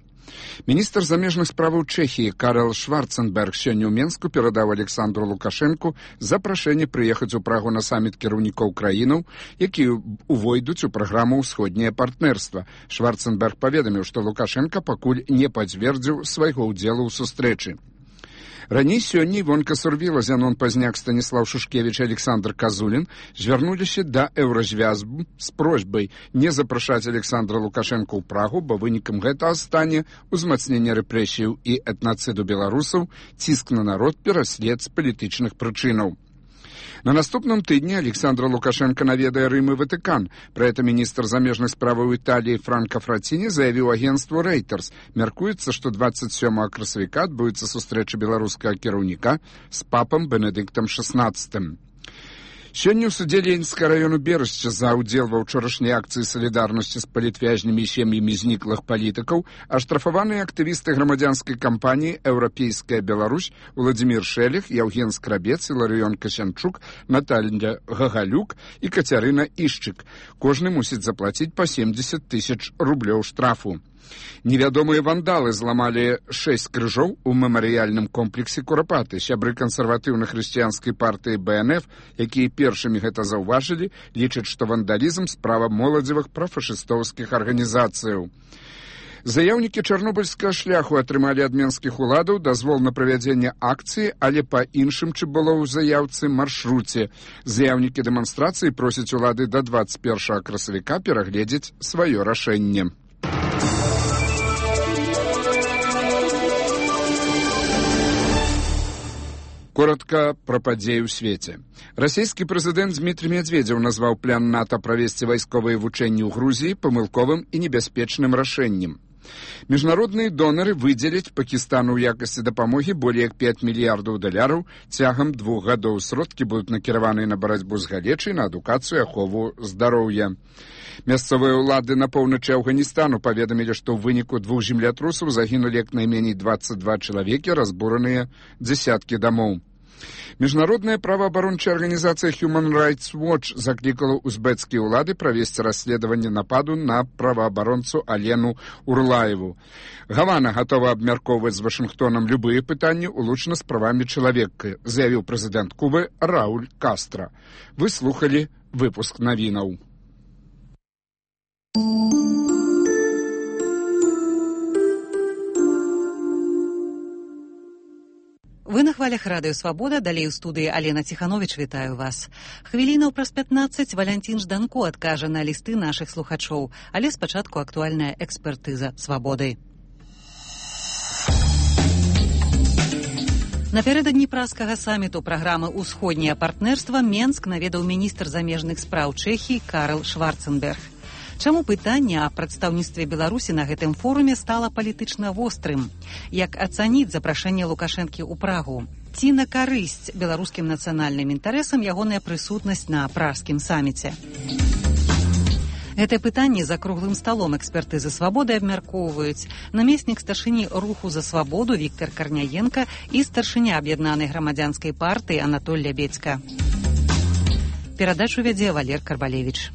Міністр замежных справаў Чэхіі Карл Шварценберг сёння ў Менску перадаў Александру Лукашэнку запрашэнне прыехаць у Прагу на саміт кіраўнікоў краінаў, якія увойдуць у праграму «Усходняе партнерства». Шварценберг паведаміў, што Лукашэнка пакуль не пацвердзіў свайго ўдзелу ў сустрэчы. Раней сёння Івонка Сурвіла, Зянон Пазняк, Станіслав Шушкевіч і Александр Казулін звярнуліся да Еўразвязбу з просьбай не запрашаць Александра Лукашэнка ў Прагу, бо вынікам гэтага стане узмацнення рэпрэсіяў і этнацыду беларусаў, ціск на народ, пераслед з палітычных прычынаў. На наступным тыдні Александра Лукашенко наведае Рым і Ватыкан. Пра гэта міністр замежных справаў Італіі Франка Фраціні заявіў агенцтву Reuters. Мяркуецца, што двадцать сёмага красавіка адбудзецца сустрэча беларускага кіраўніка з папам Бенедыктам шестнадцатым. Сёння ў судзе Ленінскага раёну Берышча за ўдзел ва ўчорашняй акцыі салідарнасці з палітвязнямі і сем'ямі зніклых палітыкаў аштрафаваныя актывісты грамадзянскай кампаніі «Еўрапейская Беларусь» Владзімір Шэлех, Яўген Скрабец, Іларыён Касянчук, Наталья Гагалюк і Кацярына Ішчык. Кожны мусіць заплаціць па семьдесят тысяч рублёў штрафу. Невядомыя вандалы зламалі шэсць крыжоў у мемарыяльным комплексе Курапаты. Сябры кансерватыўнай хрысціянскай партыі бэ эн эф, якія першымі гэта заўважылі, лічаць, што вандалізм справа моладзевых прафашыстоўскіх арганізацыяў. Заяўнікі чарнобыльскага шляху атрымалі ад менскіх уладаў дазвол на правядзенне акцыі, але па іншым, чым было ў заяўцы, маршруце. Заяўнікі дэманстрацыі просяць улады да двадцать першага красавіка перагледзець сваё рашэнне. Коротко пра падзеі ў свеце. Расійскі прэзідэнт Дмітрий Медведзеў назваў план НАТО правесці вайсковыя вучэнні ў Грузіі памылковым і небяспечным рашэннем. Міжнародныя донары выдзеляць Пакістану ў якасці дапамогі болей як пять мільярдаў даляраў цягам двух гадоў. Сродкі будуць накіраваныя на барацьбу з галечай, на адукацыю і ахову здароўя. Мясцовыя ўлады на поўначы Афганістану паведамілі, што ў выніку двух землятрусаў загінулі як найменей двадцать два чалавекі, разбураныя дзесяткі дамоў. Міжнародная праваабарончая арганізацыя Human Rights Watch заклікала узбецкія ўлады правесці расследаванне нападу на праваабаронцу Алену Урлаеву. Гавана гатова абмяркоўваць з Вашынгтонам любыя пытанні, улучна з правамі чалавека, заявіў прэзідэнт Кубы Рауль Кастра. Вы слухалі выпуск навінаў. Вы на хвалях Радыё Свабода, далей у студыі Алена Ціхановіч, вітаю вас. Хвілінаў праз пятнаццаць Валянцін Жданко адкажа на лісты нашых слухачоў, але спачатку актуальная экспертыза Свабоды. Напярэдадні праскага саміту праграмы «Усходняе партнерства» Менск наведаў міністр замежных спраў Чэхіі Карл Шварценберг. Чаму пытанне аб прадстаўніцтве Беларусі на гэтым форуме стала палітычна вострым? Як ацаніць запрашэнне Лукашэнкі ў Прагу? Ці на карысць беларускім нацыянальным інтарэсам ягоная прысутнасць на пражскім саміце? Гэтае пытанне за круглым сталом экспертызы свабоды абмяркоўваюць намеснік старшыні руху за свабоду Віктор Карняенко і старшыня аб'яднанай грамадзянскай партыі Анатоль Лябедзька. Перадачу вядзе Валер Карбалевіч.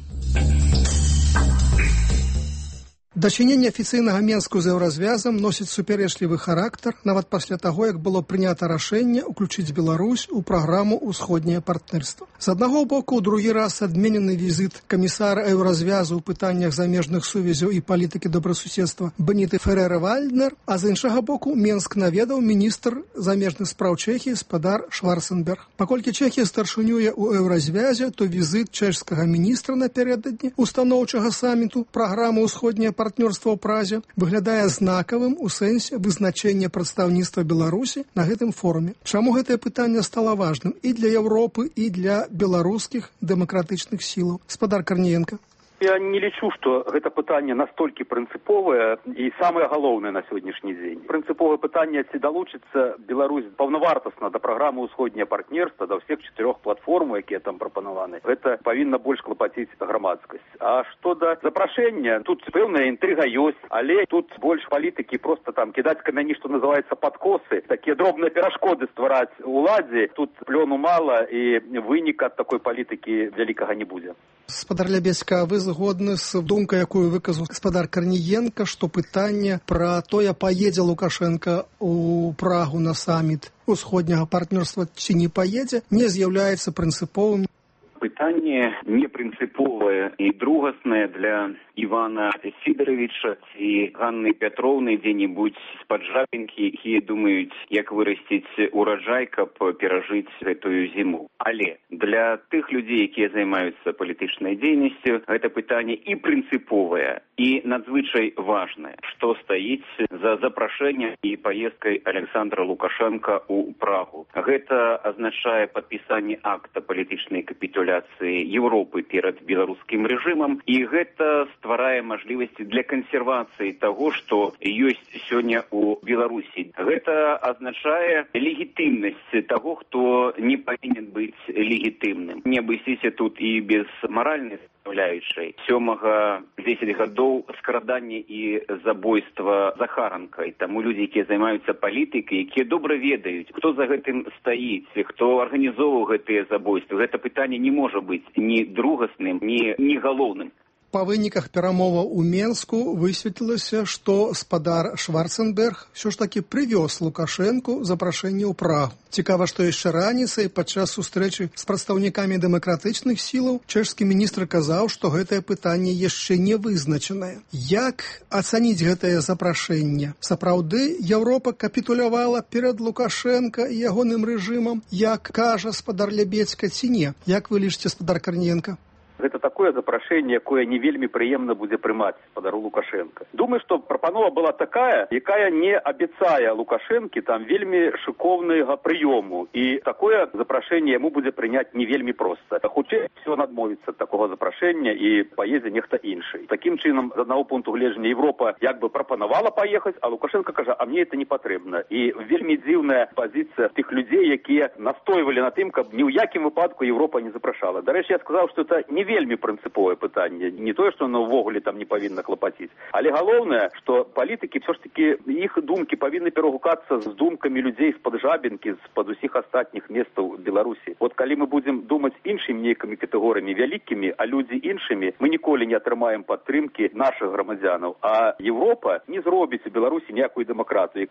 Дачыненне афіцыйнага Менску з еўразвязам носіць супярэчлівы характар нават пасля таго, як было прынята рашэнне ўключыць Беларусь у праграму «Усходняе партнерства». З аднаго боку, у другі раз адменены візіт камісара еўразвязу ў пытаннях замежных сувязяў і палітыкі добрасуседства Беніты Ферера-Вальднер, а з іншага боку, Менск наведаў міністр замежных спраў Чэхіі спадар Шварценберг. Паколькі Чэхія старшынюе ў еўразвязе, то візіт чэшскага міністра напярэдадні устаноўчага саміту праграмы «Усходняе партнерства» партнёрства ў Празе выглядае знакавым у сэнсе вызначэння прадстаўніцтва Беларусі на гэтым форуме. Чаму гэтае пытанне стала важным і для Еўропы, і для беларускіх дэмакратычных сілаў? Спадар Карніенка. Я не лічу, што гэта пытанне настолькі прынцыповае і самае галоўнае на сённяшні дзень. Прынцыповае пытанне, ці далучыцца Беларусь паўнавартасна да праграмы «Усходняе партнерства», да ўсіх чатырох платформ, якія там прапанаваны. Гэта павінна больш клапаціць грамадскасць. А што да запрашэння, тут пэўная інтрыга ёсць, але тут больш палітыкі проста там кідаць камяні, што называецца падкосы, такія дробныя перашкоды ствараць уладзе. Тут плёну мала і выніка ад такой палітыкі вялікага не будзе. Спадар Лябедзька, вы згодны з думкай, якую выказаў спадар Карніенка, што пытанне пра тое, паедзе Лукашенка ў Прагу на саміт усходняга партнёрства ці не паедзе, не з'яўляецца прынцыповым? Пытанне непрынцыповае і другаснае для Івана Сідаровича ці Ганны Пятроўны дзе-небудзь з-пад Жабінкі, якія думаюць, як вырасціць ураджай, каб перажыць гэтую зіму. Але для тых людзей, якія займаюцца палітычнай дзейнасцю, гэта пытанне і прынцыповае, і надзвычай важнае, што стаіць за запрашэннем і паездкай Александра Лукашенка ў Прагу. Гэта азначае падпісанне акта палітычнай капітуляцыі Европы перад беларускім рэжымам, і гэта стварае мажлівасці для кансервацыі таго, што ёсць сёння ў Беларусі. Гэта азначае легітымнасць таго, хто не павінен быць легітымным. Не абысіся тут і без маральнай составляючай. Сёмага дзесяць гадоў скрадання і забойства Захаранка. І таму людзі, якія займаюцца палітыкай, якія добра ведаюць, хто за гэтым стаіць, хто арганізоўваў гэтыя забойствы, гэта пытанне не можа быць ні другасным, ні, ні галоўным. Па выніках перамоваў у Менску высветлілася, што спадар Шварценберг ўсё ж такі прывёз Лукашэнку запрашэнне ў Прагу. Цікава, што яшчэ раніцай падчас сустрэчы з прадстаўнікамі дэмакратычных сілаў чэшскі міністр казаў, што гэтае пытанне яшчэ не вызначанае. Як ацаніць гэтае запрашэнне? Сапраўды, Еўропа капітулявала перад Лукашэнка і ягоным рэжымам, як кажа спадар Лябедзька, ці не? Як вы лічыце, спадар Карніенка? Гэта такое запрашэнне, якое не вельмі прыемна будзе прымаць спадару Лукашенка. Думаю, што прапанова была такая, якая не абяцае Лукашэнкі там вельмі шыкоўнага прыёму. І такое запрашэнне яму будзе прыняць не вельмі проста. Хутчэй всё надмовіцца ад такога запрашэння і паедзе нехта іншы. Такім чынам, з аднаго пункту гледжання, Европа як бы прапанавала паехаць, а Лукашенко кажа, а мне это не патрэбна. І вельмі дзіўная пазіцыя тых людзей, якія настойвалі на тым, каб ні ў якім выпадку Европа не запрашала. Дарэчы, я сказаў, што это не вельмі прынцыповае пытанне. Не тое, што оно ўвогуле там не павінна клапаціць. Але галоўнае, што палітыкі ўсё ж такі, іх думкі павінны перагукацца з думкамі людзей з-пад Жабінкі, з-пад усіх астатніх месцаў Беларусі. От калі мы будзем думаць іншымі нейкімі катэгорыямі вялікімі, а людзі іншымі, мы ніколі не атрымаем падтрымкі нашых грамадзянаў. А Европа не зробіць у Беларусі ніякую дэмакратыю.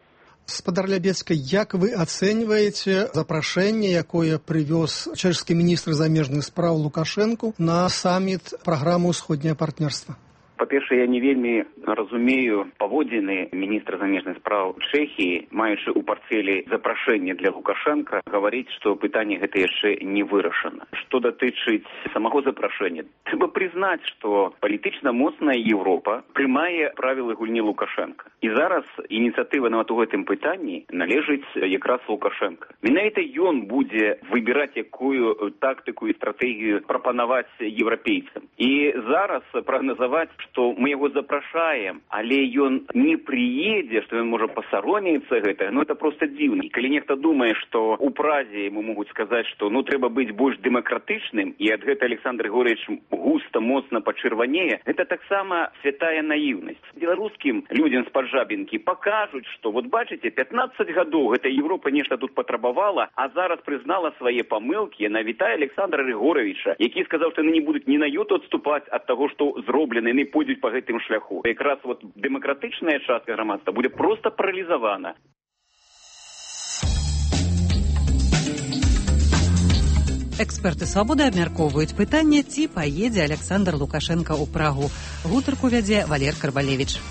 Спадар Лябедзька, як вы ацэньваеце запрашэнне, якое прывёз чэшскі міністр замежных спраў Лукашэнку на саміт праграмы «Усходняе партнерства»? Па-першае, я не вельмі разумею паводзіны міністра замежных спраў Чэхіі, маючы ў партфелі запрашэнне для Лукашенка, гаварыць, што пытанне гэта яшчэ не вырашана. Што датычыць самого запрашэння, трэба прызнаць, што палітычна моцная Еўропа прымае правілы гульні Лукашенка. І зараз ініцыятыва нават у гэтым пытанні належыць якраз Лукашенка. Менавіта ён будзе выбіраць, якую тактыку і стратэгію прапанаваць еўрапейцам. І зараз прагназаваць, што мы яго запрашаем, але ён не прыедзе, што ён можа пасаромеецца гэтага, ну это проста дзіўна. Калі нехта думае, што ў Празе ему могуць сказаць, што ну трэба быць больш дэмакратычным, і ад гэта Александр Григорьевич густа, моцна пачырванее, гэта таксама святая наіўнасць. Беларускім людзям з-пад Жабінкі пакажуць, што вот бачыце, пятнаццаць гадоў гэта Европа нешта тут патрабавала, а зараз прызнала свае памылкі. Яна вітае Александра Григорьевича, які сказаў, што яны не будуць ні на йоту адступаць ад таго, што зроблена, яны пойдуць па гэтым шляху. Якраз вот дэмакратычная частка грамадства будзе проста паралізавана. Эксперты «Свабоды» абмяркоўваюць пытанне, ці паедзе Александр Лукашенко ў Прагу. Гутарку вядзе Валер Карбалевіч.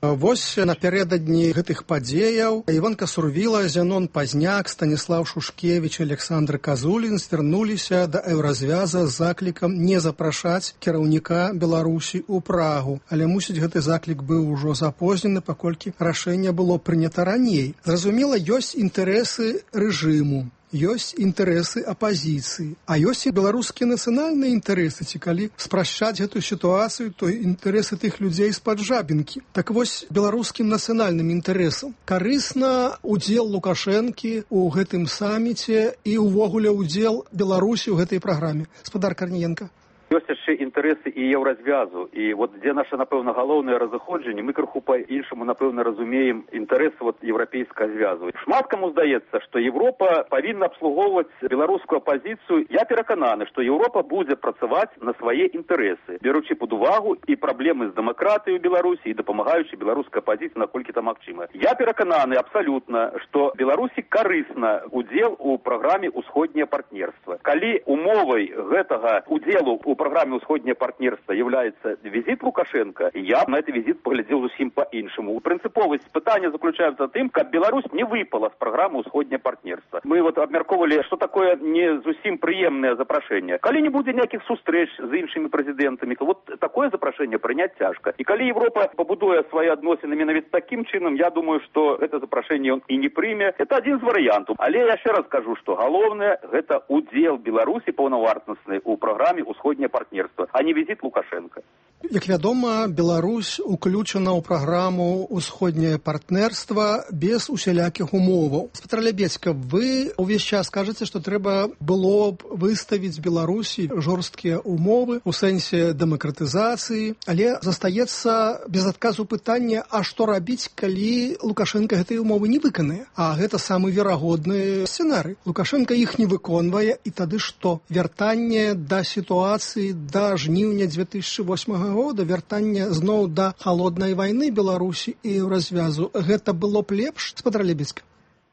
Вось напярэдадні гэтых падзеяў Іванка Сурвіла, Зянон Пазняк, Станіслав Шушкевіч, Александр Казулін звярнуліся да Еўразвяза з заклікам не запрашаць кіраўніка Беларусі ў Прагу. Але, мусіць, гэты заклік быў ужо запознены, паколькі рашэнне было прынята раней. Зразумела, ёсць інтарэсы рэжыму, ёсць інтарэсы апазіцыі, а ёсць і беларускія нацыянальныя інтарэсы, ці калі спрашчаць гэтую сітуацыю, то інтарэсы тых людзей з-пад Жабінкі. Так вось, беларускім нацыянальным інтарэсам карысна удзел Лукашэнкі ў гэтым саміце і ўвогуле удзел Беларусі ў гэтай праграме. Спадар Карніенка. Ёсць яшчэ інтарэсы і еўразвязу, і вот дзе наша, напэўна, галоўнае разыходжанне, мы крыху па-іншаму, напэўна, разумеем інтарэсы вот еўрапейскага звязу. Шмат каму здаецца, што Европа павінна абслугоўваць беларускую апазіцыю. Я перакананы, што Европа будзе працаваць на свае інтарэсы, беручы пад увагу і праблемы з дэмакратыяй у Беларусі, і дапамагаючы беларускай апазіцыі, наколькі там магчыма. Я перакананы абсалютна, што Беларусі карысна удзел у праграме «Усходняе партнерства». Калі умовай гэтага удзелу у праграме «Усходняе партнерства» является визит Лукашенко, я на этот визит поглядел зусім по-іншаму. Прынцыповасць пытання заключаецца в тым, каб Беларусь не выпала з праграмы «Усходняе партнерства». Мы вот абмярковалі, што такое не зусім прыемнае запрашэнне. Калі не будзе ніякіх сустрэч з іншымі прэзідэнтамі, то вот такое запрашэнне прыняць цяжка. І калі Европа пабудуе свае адносіны менавіта такім чынам, я думаю, што гэта запрашэнне ён і не прыме. Это адзін з варыянтаў. Але я яшчэ раз кажу, што галоўнае гэта удзел Беларусі паўнавартасны ў праграме «Усходняе партнерства», а не визит Лукашенко. Як вядома, Беларусь уключана ў праграму «Усходняе партнерства» без усялякіх умоваў. Спадар Лябедзька, вы ўвесь час кажаце, што трэба было б выставіць Беларусі жорсткія умовы ў сэнсе дэмакратызацыі, але застаецца без адказу пытання, а што рабіць, калі Лукашенко гэтыя умовы не выканае? А гэта самы верагодны сцэнарый. Лукашенко іх не выконвае, і тады што? Вяртанне да сітуацыі да жніўня дзве тысячы восьмага года, вяртанне зноў да халоднай вайны Беларусі і развязу. Гэта было б лепш, спадар Лябедзька?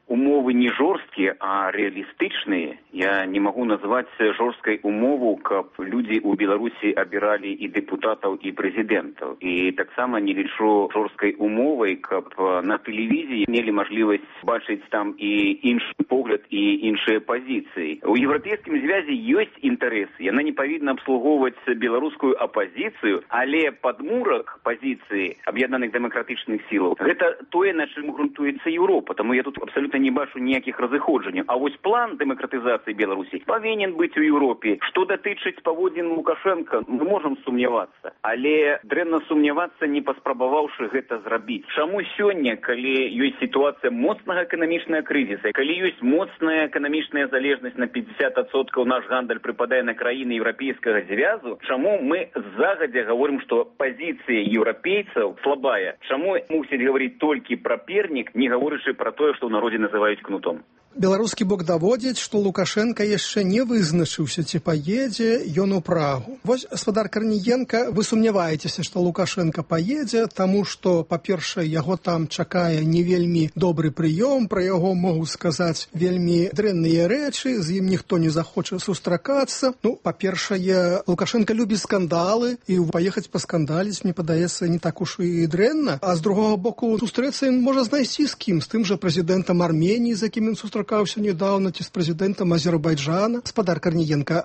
Умовы не жорсткія, а рэалістычныя. Я не магу назваць жорсткай умову, каб людзі ў Беларусі абіралі і дэпутатаў, і прэзідэнтаў. І таксама не лічу жорсткай умовай, каб на тэлевізіі мелі мажлівасць бачыць там і іншы погляд, і іншыя пазіцыі. У еўрапейскім звязе ёсць інтарэсы. Яна не павінна абслугоўваць беларускую апазіцыю, але падмурак пазіцыі аб'яднаных дэмакратычных сілаў — гэта тое, на чым грунтуецца Еўропа. Таму я тут абсалютна не бачу ніякіх разыходжанняў. А вось план дэмакратызацыі Беларусі павінен быць у Еўропе. Што датычыць паводзін Лукашенка, мы можам сумнявацца, але дрэнна сумнявацца, не паспрабаваўшы гэта зрабіць. Чаму сёння, калі ёсць сітуацыя моцнага эканамічнага крызіса, калі ёсць моцная эканамічная залежнасць на пятьдесят адсоткаў, наш гандаль прыпадае на краіны еўрапейскага звязу, чаму мы загадзя гаворым, што пазіцыя еўрапейцаў слабая? Чаму мусіць гаварыць толькі пра пернік, не гаворычы пра тое, што ў народзе называюць кнутом? Беларускі бок даводзіць, што Лукашенка яшчэ не вызначыўся, ці паедзе ён у Прагу. Вось, спадар Карніенка, вы сумняваецеся, што Лукашенка паедзе, таму што, па-першае, яго там чакае не вельмі добры прыём, пра яго могуць сказаць вельмі дрэнныя рэчы, з ім ніхто не захоча сустракацца. Ну, па-першае, Лукашенка любіць скандалы, і паехаць паскандаліць, мне падаецца, не так уж і дрэнна. А з другога боку, сустрэцца ён можа знайсці з кім, з тым жа прэзідэнтам Арменіі, з якім ён сустракаўся недавно, ці з прэзідэнтам Азербайджана. Спадар Карніенка.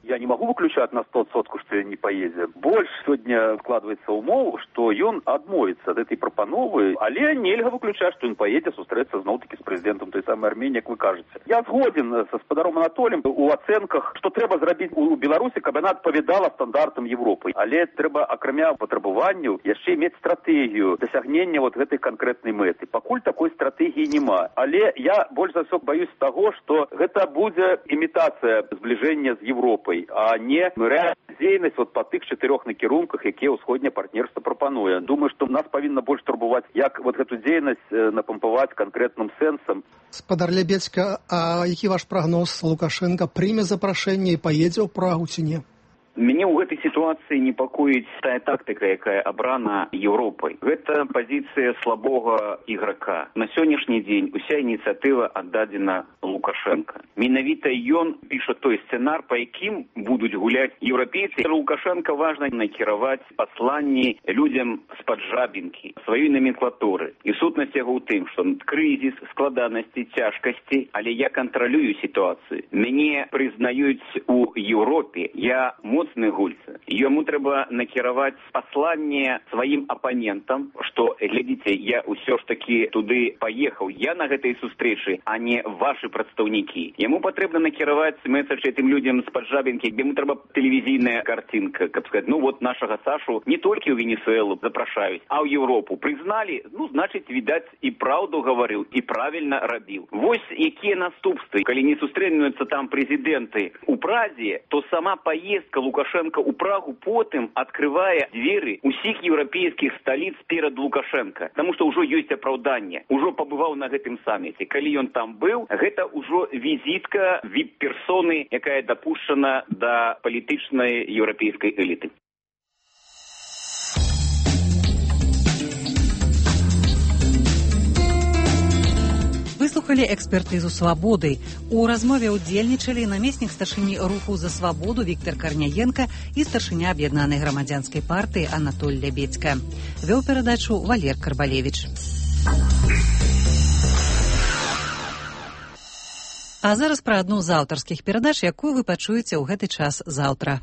Я не могу выключать на сто процентов, что я не поеду. Больше сегодня вкладывается умов, что он отмоется от этой пропановы, але нельга выключать, что он поедет встретиться знову-таки с президентом той самой Армении, как вы кажете. Я сгоден со спадаром Анатолием у оценках, что треба зробить у Беларусі, каб она отповедала стандартам Европы. Але треба, акрамя потребованию, еще иметь стратегию досягнения вот этой конкретной меты. Покуль такой стратегии нема. Але я больше за все боюсь того, что это будет имитация сближения с Европой, а не реальная дзейнасць вот по тых четырех накірунках, якія ўсходняе партнерство прапануе. Думаю, что нас павінна больш турбовать, як вот эту дзейнасць напампаваць конкретным сэнсам. Спадар Лебедзька, а які ваш прогноз? Лукашенко прыме запрашэнне і поедзе ў Прагу ці не? Мяне ў гэтай сітуацыі непакоіць тая тактыка, якая абрана Еўропай. Гэта пазіцыя слабога іграка. На сённяшні дзень уся ініцыятыва аддадзена Лукашенко. Менавіта ён піша той сцэнар, па якім будуць гуляць еўрапейцы. Лукашенко важна накіраваць пасланні людзям з-пад жабінкі, сваёй номенклатуры. І сутнасць яго ў тым, што крызіс, складанасці, цяжкасці, але я кантралюю сітуацыю. Мяне прызнаюць у Еўропе. Я моцны гульца. Яму трэба накіраваць пасланне сваім апанентам, што, глядзіце, я ўсё ж такі туды паехаў. Я на гэтай сустрэчы, а не вашы прадстаўнікі. Яму патрэбна накіраваць месседж этим людзям з-пад жабінкі, яму трэба тэлевізійная картинка, каб сказаць, ну вот нашага Сашу не толькі ў Венесуэлу запрашаюць, а ў Еўропу. Прызналі, ну, значыць, відаць, і праўду гаварыў, і правільна рабіў. Вось якія наступствы. Калі не сустрэнуюцца там прэзідэнты у Празе, то сама паездка Лукашенко у Прагу потым открывае дзверы усіх еўрапейскіх сталіц перад Лукашенко. Таму што ўжо ёсць апраўданне. Ужо пабываў на гэтым саміце. Калі ён там быў, гэта ўжо візітка віп-персоны, якая дапушчана да палітычнай еўрапейскай эліты. Выслухалі экспертызу «Свабоды». У размове ўдзельнічалі намеснік старшыні руху «За свабоду» Віктор Карняенко і старшыня аб'яднанай грамадзянскай партыі Анатоль Лебедзька. Вёў перадачу Валер Карбалевіч. А зараз пра адну з аўтарскіх перадач, якую вы пачуеце ў гэты час заўтра.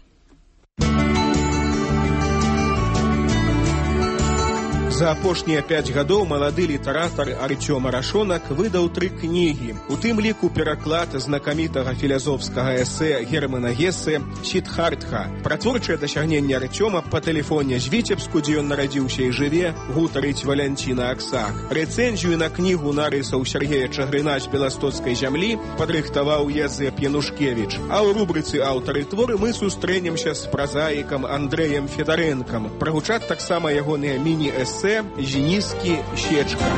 За апошнія пяць гадоў малады літаратар Арцём Арашонак выдаў тры кнігі. У тым ліку пераклад знакамітага філазофскага эсэ Германа Гессе «Сіддхартха». Пра творчае дасягненне Арцёма па тэлефоне з Віцебску, дзе ён нарадзіўся і жыве, гутарыць Валянціна Аксак. Рэцэнзію на кнігу нарысаў Сергея Чагрына з беластоцкай зямлі падрыхтаваў Язэп Янушкевіч. А ў рубрыцы «Аўтары творы» мы сустрэнемся з празаікам Андрэем Федарэнкам. Прагучаць таксама ягоныя міні-эсэ «Зеніскі Щечка».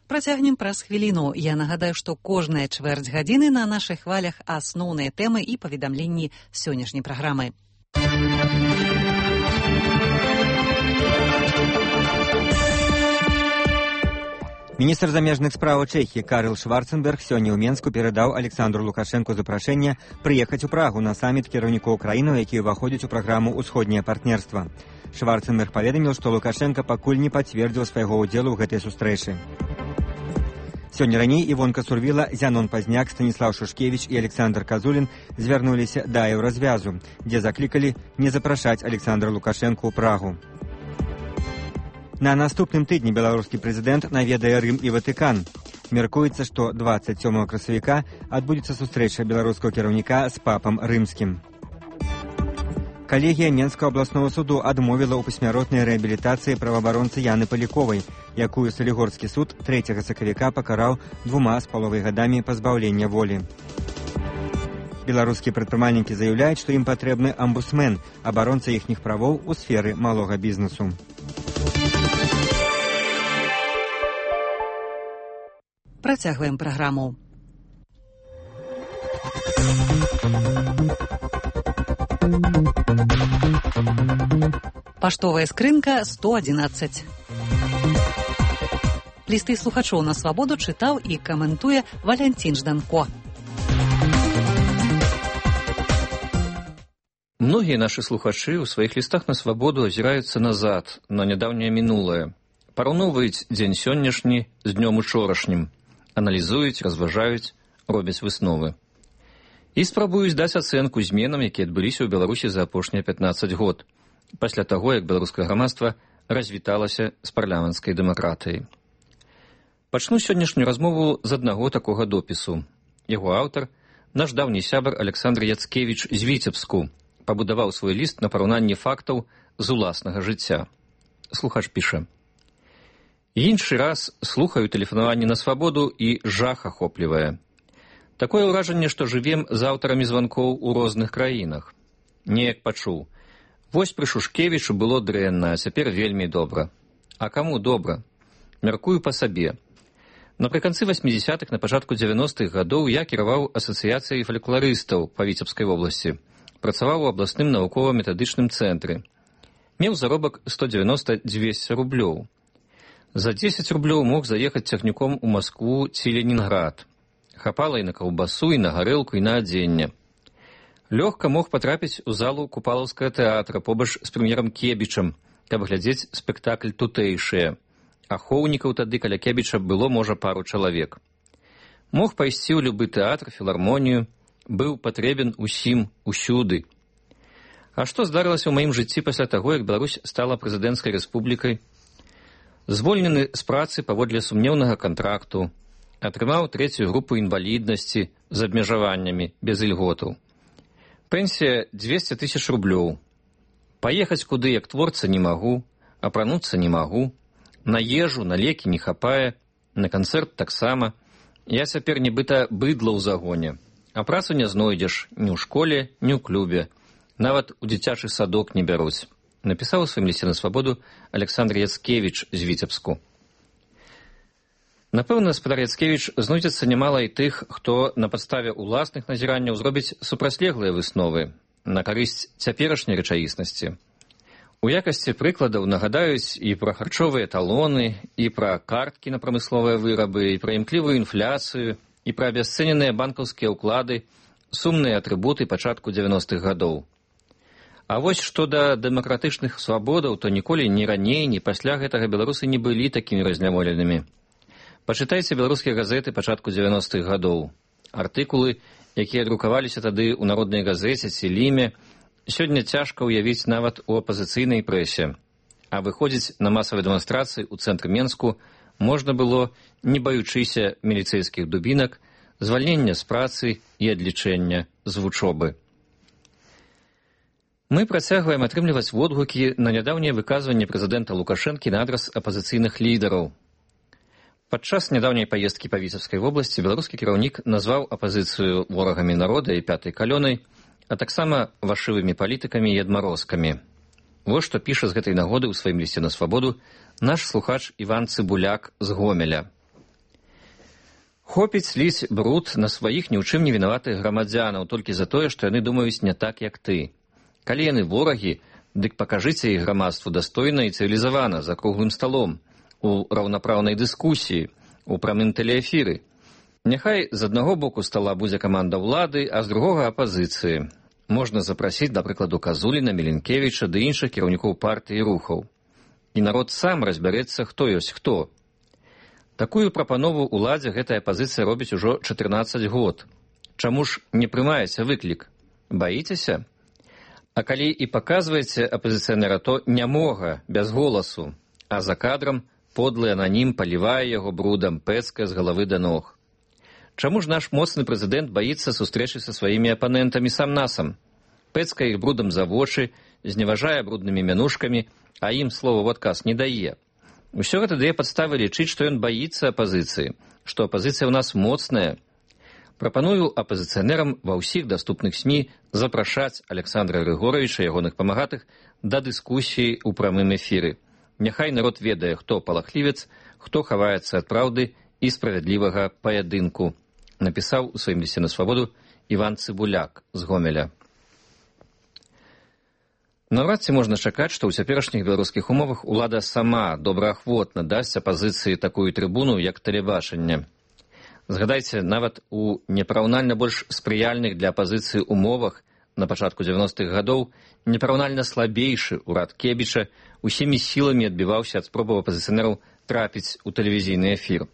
Працягнем праз хвіліну. Я нагадаю, што кожная чвэрць гадзіны на нашых хвалях асноўныя тэмы і паведамленні сённяшняй праграмы. Міністр замежных спраў Чэхіі Карл Шварценберг сёння ў Менску перадаў Александру Лукашенку запрашэнне прыехаць у Прагу на саміт кіраўнікоў краінаў, якія ўваходзяць у праграму «Усходняе партнерства». Шварценберг паведаміў, што Лукашенка пакуль не пацвердзіў свайго ўдзелу ў гэтай сустрэчы. Сёння раней Івонка Сурвіла, Зянон Пазняк, Станіслаў Шушкевіч і Александр Казулін звярнуліся да еўразвязу, дзе заклікалі не запрашаць Александра Лукашенку ў Прагу. На наступным тыдні беларускі прэзідэнт наведае Рым і Ватыкан. Мяркуецца, што дваццаць сёмага красавіка адбудзецца сустрэча беларускага кіраўніка з папам рымскім. Калегія Менскага абласнога суду адмовіла ў пасмяротнай рэабілітацыі праваабаронцы Яны Паляковай, якую Салігорскі суд трэцяга сакавіка пакараў двума з паловай гадамі пазбаўлення волі. Беларускія прадпрымальнікі заяўляюць, што ім патрэбны амбудсмен, абаронца іхніх правоў у сферы малога бізнесу. Працягваем праграму. Паштовая скрынка сто адзінаццаць. Лісты слухачоў на свабоду чытаў і каментуе Валянцін Жданко. Многія нашы слухачы ў сваіх лістах на свабоду азіраюцца назад, на нядаўняе мінулае. Параўноўваюць дзень сённяшні з днём учорашнім. Аналізуюць, разважаюць, робяць высновы. І спрабуюць даць ацэнку зменам, якія адбыліся ў Беларусі за апошнія пятнаццаць год, пасля таго, як беларускае грамадства развіталася з парламенцкай дэмакратыяй. Пачну сённяшнюю размову з аднаго такога допісу. Яго аўтар, наш даўні сябар Александр Яцкевіч з Віцебску, пабудаваў свой ліст на параўнанні фактаў з уласнага жыцця. Слухач піша: «Іншы раз слухаю тэлефанаванне на свабоду і жах ахоплівае. Такое ўражанне, што жывем з аўтарамі званкоў у розных краінах. Неяк пачуў. Вось пры Шушкевічу было дрэнна, а цяпер вельмі добра. А каму добра? Мяркую па сабе. Напрыканцы васьмідзесятых, на пачатку дзевяностых гадоў я кіраваў асацыяцыяй фалькларыстаў па Віцебскай вобласці. Працаваў у абласным навукова-метадычным цэнтры. Меў заробак сто дзевяноста дзвесце рублёў. За дзесяць рублёў мог заехаць цягніком у Маскву ці Ленінград. Хапала і на каўбасу, і на гарэлку, і на адзенне. Лёгка мог патрапіць у залу Купалаўскага тэатра побач з прэм'ерам Кебічам, каб глядзець спектакль тутэйшыя. Ахоўнікаў тады каля Кебіча было, можа, пару чалавек. Мог пайсці ў любы тэатр, філармонію, быў патрэбен усім, усюды. А што здарылася ў маім жыцці пасля таго, як Беларусь стала прэзідэнцкай рэспублікай? Звольнены з працы паводле сумнеўнага кантракту, атрымаў трэцюю групу інваліднасці з абмежаваннямі, без ільготаў. Пенсія дзвесце тысяч рублёў. Паехаць куды, як творца, не магу, апрануцца не магу, на ежу, на лекі не хапае, на канцэрт таксама. Я цяпер нібыта быдла ў загоне, а працу не знойдзеш ні ў школе, ні ў клубе, нават у дзіцячы садок не бяруць. Напісаў у сваім лісце на свабоду Александр Яцкевіч з Віцебску. Напэўна, спадар Яцкевіч, знойдзецца нямала і тых, хто на падставе ўласных назіранняў зробіць супрацьлеглыя высновы на карысць цяперашняй рэчаіснасці. У якасці прыкладаў нагадаюць і пра харчовыя талоны, і пра карткі на прамысловыя вырабы, і пра імклівую інфляцыю, і пра абясцэненыя банкаўскія ўклады, сумныя атрыбуты пачатку дзевяностых гадоў. А вось што да дэмакратычных свабодаў, то ніколі ні раней, ні пасля гэтага беларусы не былі такімі разняволенымі. Пачытайце беларускія газеты пачатку дзевяностых гадоў. Артыкулы, якія друкаваліся тады ў народнай газеце ці ліме, сёння цяжка ўявіць нават у апазіцыйнай прэсе. А выходзіць на масавыя дэманстрацыі ў цэнтры Менску можна было, не баючыся міліцэйскіх дубінак, звальнення з працы і адлічэння з вучобы. Мы працягваем атрымліваць водгукі на нядаўняе выказванне прэзідэнта Лукашэнкі на адрас апазіцыйных лідараў. Падчас нядаўняй паездкі па Віцебскай вобласці беларускі кіраўнік назваў апазіцыю ворагамі народа і пятай калёнай, а таксама вашывымі палітыкамі і адмарозкамі. Вось што піша з гэтай нагоды ў сваім лісце на свабоду наш слухач Іван Цыбуляк з Гомеля. Хопіць ліць бруд на сваіх ні ў чым не вінаватых грамадзянаў толькі за тое, што яны думаюць не так, як ты. Калі яны ворагі, дык пакажыце іх грамадству дастойна і цывілізавана, за круглым сталом, у раўнапраўнай дыскусіі, у прамым тэлеэфіры. Няхай з аднаго боку стала будзе каманда ўлады, а з другога апазіцыі. Можна запрасіць, да прыкладу, Казуліна, Міленкевіча ды іншых кіраўнікоў партыі і рухаў. І народ сам разбярэцца, хто ёсць хто. Такую прапанову ўладзе гэтая апазіцыя робіць ужо чатырнаццаць год. Чаму ж не прымаеце выклік? Баіцеся? А калі і паказваеце апазіцыянера, то нямога, без голасу, а за кадрам подлы ананім палівае яго брудам, пэцкае з галавы да ног. Чаму ж наш моцны прэзідэнт баіцца сустрэчы са сваімі апанентамі сам-насам? Пэцкае іх брудам за вочы, зневажае бруднымі мянушкамі, а ім слова ў адказ не дае. Усё гэта дае падставы лічыць, што ён баіцца апазіцыі, што апазіцыя ў нас моцная. Прапаную апазіцыянерам ва ўсіх даступных СМІ запрашаць Александра Григоровича і ягоных памагатых да дыскусіі ў прамым эфіры. Няхай народ ведае, хто палахлівец, хто хаваецца ад праўды і справядлівага паядынку, напісаў у сваім лісце на свабоду Іван Цыбуляк з Гомеля. Наўрад ці можна чакаць, што ў цяперашніх беларускіх умовах улада сама добраахвотна дасць апазіцыі такую трыбуну, як тэлебачанне. Згадайце, нават у непараўнальна больш спрыяльных для апазіцыі умовах на пачатку дзевяностых гадоў непараўнальна слабейшы ўрад Кебіча усімі сіламі адбіваўся ад спробаў апазіцыянераў трапіць у тэлевізійны эфір.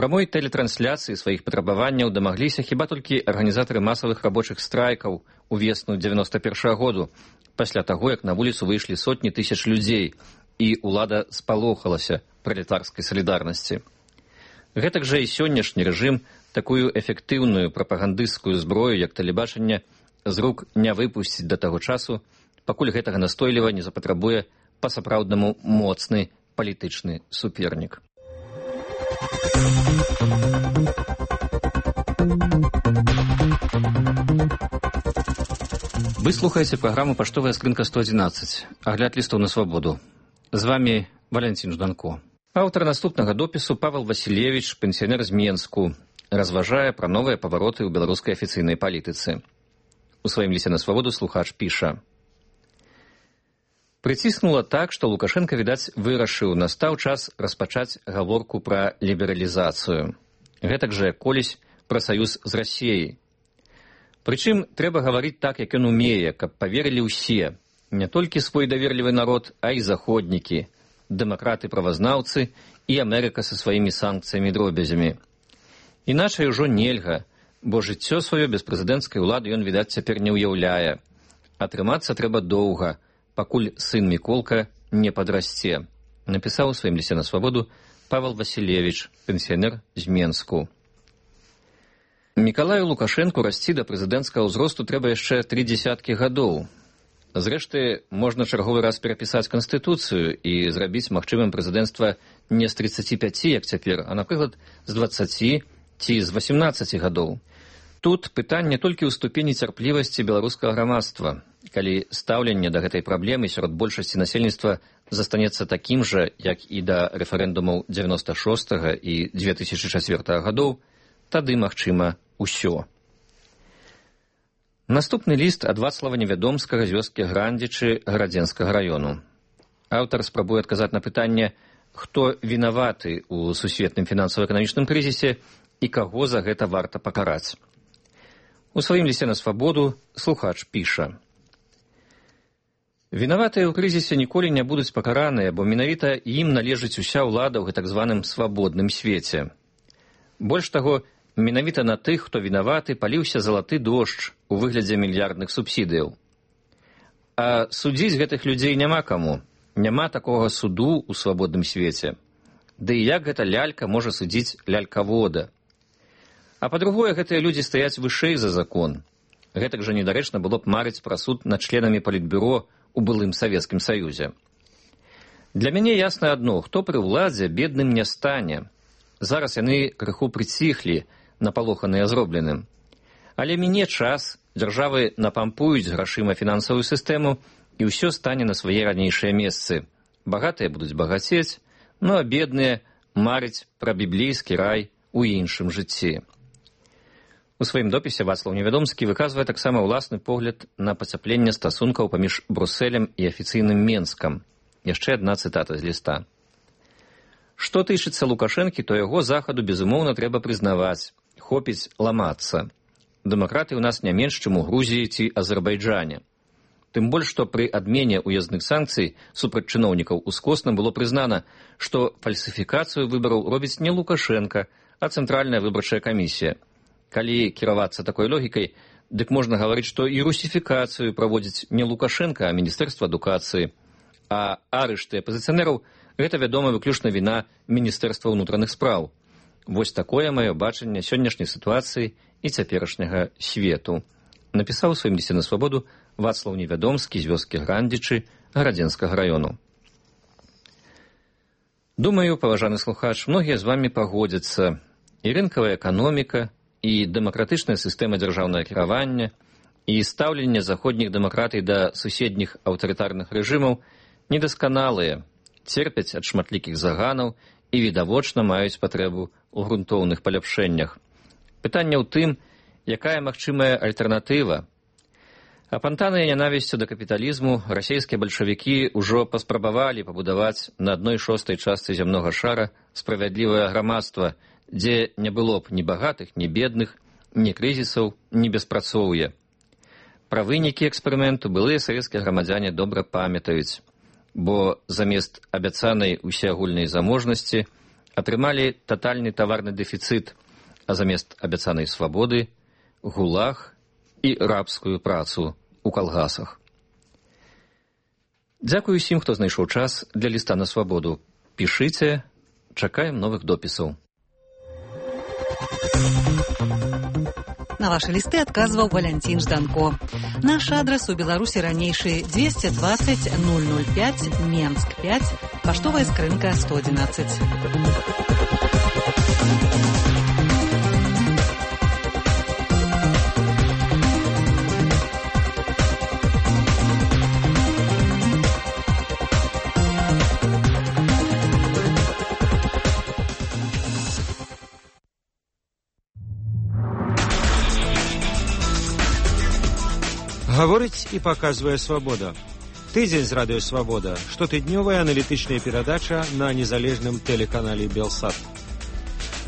Прамой тэлетрансляцыі сваіх патрабаванняў дамагліся хіба толькі арганізатары масавых рабочых страйкаў у весну дзевяноста першага году, пасля таго, як на вуліцу выйшлі сотні тысяч людзей, і ўлада спалохалася пралетарскай салідарнасці. Гэтак жа і сённяшні рэжым такую эфектыўную прапагандысцкую зброю, як тэлебачанне, з рук не выпусціць да таго часу, пакуль гэтага настойліва не запатрабуе па-сапраўднаму моцны палітычны супернік. Вы слухаеце праграму «Паштовая скрынка сто адзінаццаць», агляд лістаў на свабоду. З вами Валянцін Жданко. Аўтар наступнага допісу Павел Васілевіч, пенсіянер з Менску, разважае пра новыя павароты ў беларускай афіцыйнай палітыцы. У сваім лісце на свабоду слухач піша: «Прыціснула так, што Лукашенко, відаць, вырашыў, настаў час распачаць гаворку пра лібералізацыю. Гэтак жа, колісь, пра саюз з Расіяй. Прычым, трэба гаварыць так, як ён умее, каб паверылі ўсе, не толькі свой даверлівы народ, а і заходнікі, дэмакраты-правазнаўцы і Амерыка са сваімі санкцыямі дробязямі. Іначай ужо нельга, бо жыццё сваё без прэзідэнцкай улады ён, відаць, цяпер не ўяўляе. Атрымацца трэба доўга, пакуль сын Міколка не падрасце», напісаў у сваім лісце на свабоду Павел Васілевіч, пенсіянер з Менску. Мікалаю Лукашэнку расці да прэзідэнцкага ўзросту трэба яшчэ тры дзесяткі гадоў. Зрэшты, можна чарговы раз перапісаць Канстытуцыю і зрабіць магчымым прэзідэнцтва не з трыццаці пяці, як цяпер, а, напрыклад, з дваццаці ці з васемнаццаці гадоў. Тут пытанне толькі ў ступені цярплівасці беларускага грамадства. Калі стаўленне да гэтай праблемы сярод большасці насельніцтва застанецца такім жа, як і да рэферэндумаў дзевяноста шостага і дзве тысячы чацвёртага гадоў, тады магчыма ўсё. Наступны ліст ад Вацлава Невядомскага з вёскі Грандзічы Гарадзенскага раёну. Аўтар спрабуе адказаць на пытанне, хто вінаваты ў сусветным фінансава-эканамічным крызісе і каго за гэта варта пакараць. У сваім лісце на свабоду слухач піша: «Вінаватыя ў крызісе ніколі не будуць пакараныя, бо менавіта ім належыць уся ўлада ў гэтак званым свабодным свеце. Больш таго, менавіта на тых, хто вінаваты, паліўся залаты дождж у выглядзе мільярдных субсідыяў. А судзіць гэтых людзей няма каму, няма такога суду ў свабодным свеце. Ды і як гэта лялька можа судзіць лялькавода? А па-другое, гэтыя людзі стаяць вышэй за закон. Гэтак жа недарэчна было б марыць пра суд над членамі палітбюро у былым Савецкім Саюзе. Для мяне ясна адно, хто пры ўладзе бедным не стане. Зараз яны крыху прыціхлі, напалоханыя зробленым. Але міне час, дзяржавы напампуюць грашыма фінансавую сістэму, і ўсё стане на свае ранейшыя месцы. Багатыя будуць багацець, ну а бедныя марыць пра біблейскі рай у іншым жыцці». У сваім допісе Вацлаў Невядомскі выказвае таксама ўласны погляд на пацяпленне стасункаў паміж Брусэлем і афіцыйным Менскам. Яшчэ адна цытата з ліста. «Што тычыцца Лукашэнкі, то яго захаду, безумоўна, трэба прызнаваць. Хопіць ламацца. Дэмакраты ў нас не менш, чым у Грузіі ці Азербайджане. Тым больш, што пры адмене ўязных санкцый супраць чыноўнікаў ускосна было прызнана, што фальсіфікацыю выбараў робіць не Лукашенка, а Цэнтральная выбарчая камісія. Калі кіравацца такой логікай, дык можна гаварыць, што і русіфікацыю праводзіць не Лукашенка, а Міністэрства адукацыі. А арышты апазіцыянераў – гэта, вядома, выключна віна Міністэрства ўнутраных спраў. Вось такое маё бачанне сённяшняй сітуацыі і цяперашняга свету», напісаў у сваім лісце на свабоду Вацлаў Невядомскі з вёскі Грандзічы Гарадзенскага раёну. Думаю, паважаны слухач, многія з вамі пагодзяцца. І рынкавая эканоміка, і дэмакратычная сістэма дзяржаўнага кіравання, і стаўленне заходніх дэмакратый да суседніх аўтарытарных рэжымаў недасканалыя, церпяць ад шматлікіх заганаў і відавочна маюць патрэбу ў грунтоўных паляпшэннях. Пытанне ў тым, якая магчымая альтэрнатыва. Апантаныя нянавісцю да капіталізму расійскія бальшавікі ўжо паспрабавалі пабудаваць на адной шостай частцы зямнога шара справядлівае грамадства, дзе не было б ні багатых, ні бедных, ні крызісаў, ні беспрацоўя. Пра вынікі эксперыменту былыя савецкія грамадзяне добра памятаюць, бо замест абяцанай усеагульнай заможнасці атрымалі татальны таварны дэфіцыт, а замест абяцанай свабоды гулаг і рабскую працу у калгасах. Дзякую усім, хто знайшоў час для ліста на свабоду. Пішыце, чакаем новых допісаў. На ваши листы отказывал Валентин Жданко. Наш адрес у Беларуси ранейший двести двадцать ноль ноль пять, Менск пять, поштовая скрынка сто одиннадцать. Гаворыць і паказвае свабода. Тыдзень з радыё Свабода, штотыднёвая аналітычная перадача на незалежным тэлеканале Белсат.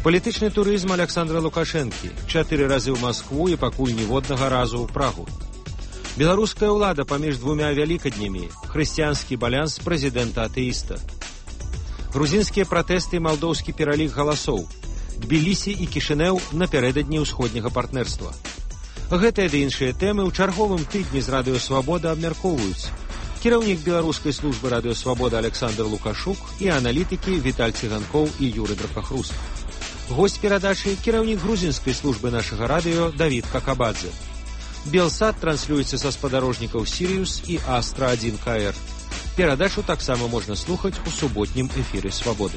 Палітычны турызм Александра Лукашэнкі. Чатыры разы ў Маскву і пакуль ніводнага разу ў Прагу. Беларуская ўлада паміж двумя вялікаднямі. Хрысціянскі балянс прэзідэнта-атэіста. Грузінскія пратэсты і малдоўскі пералік галасоў. Тбілісі і Кішынеў напярэдадні ўсходняга партнерства. Гэтыя ды іншыя тэмы ў чарговым тыдні з радыё Свабода абмяркоўваюць кіраўнік беларускай службы радыё Свабода Александр Лукашук і аналітыкі Віталь Цыганкоў і Юры Дракахрус. Госць перадачы кіраўнік грузінскай службы нашага радыё Давід Какабадзе. Белсат транслюецца са спадарожнікаў Сіриус і Астра один ка эр. Перадачу таксама можна слухаць у суботнім эфіры Свабоды.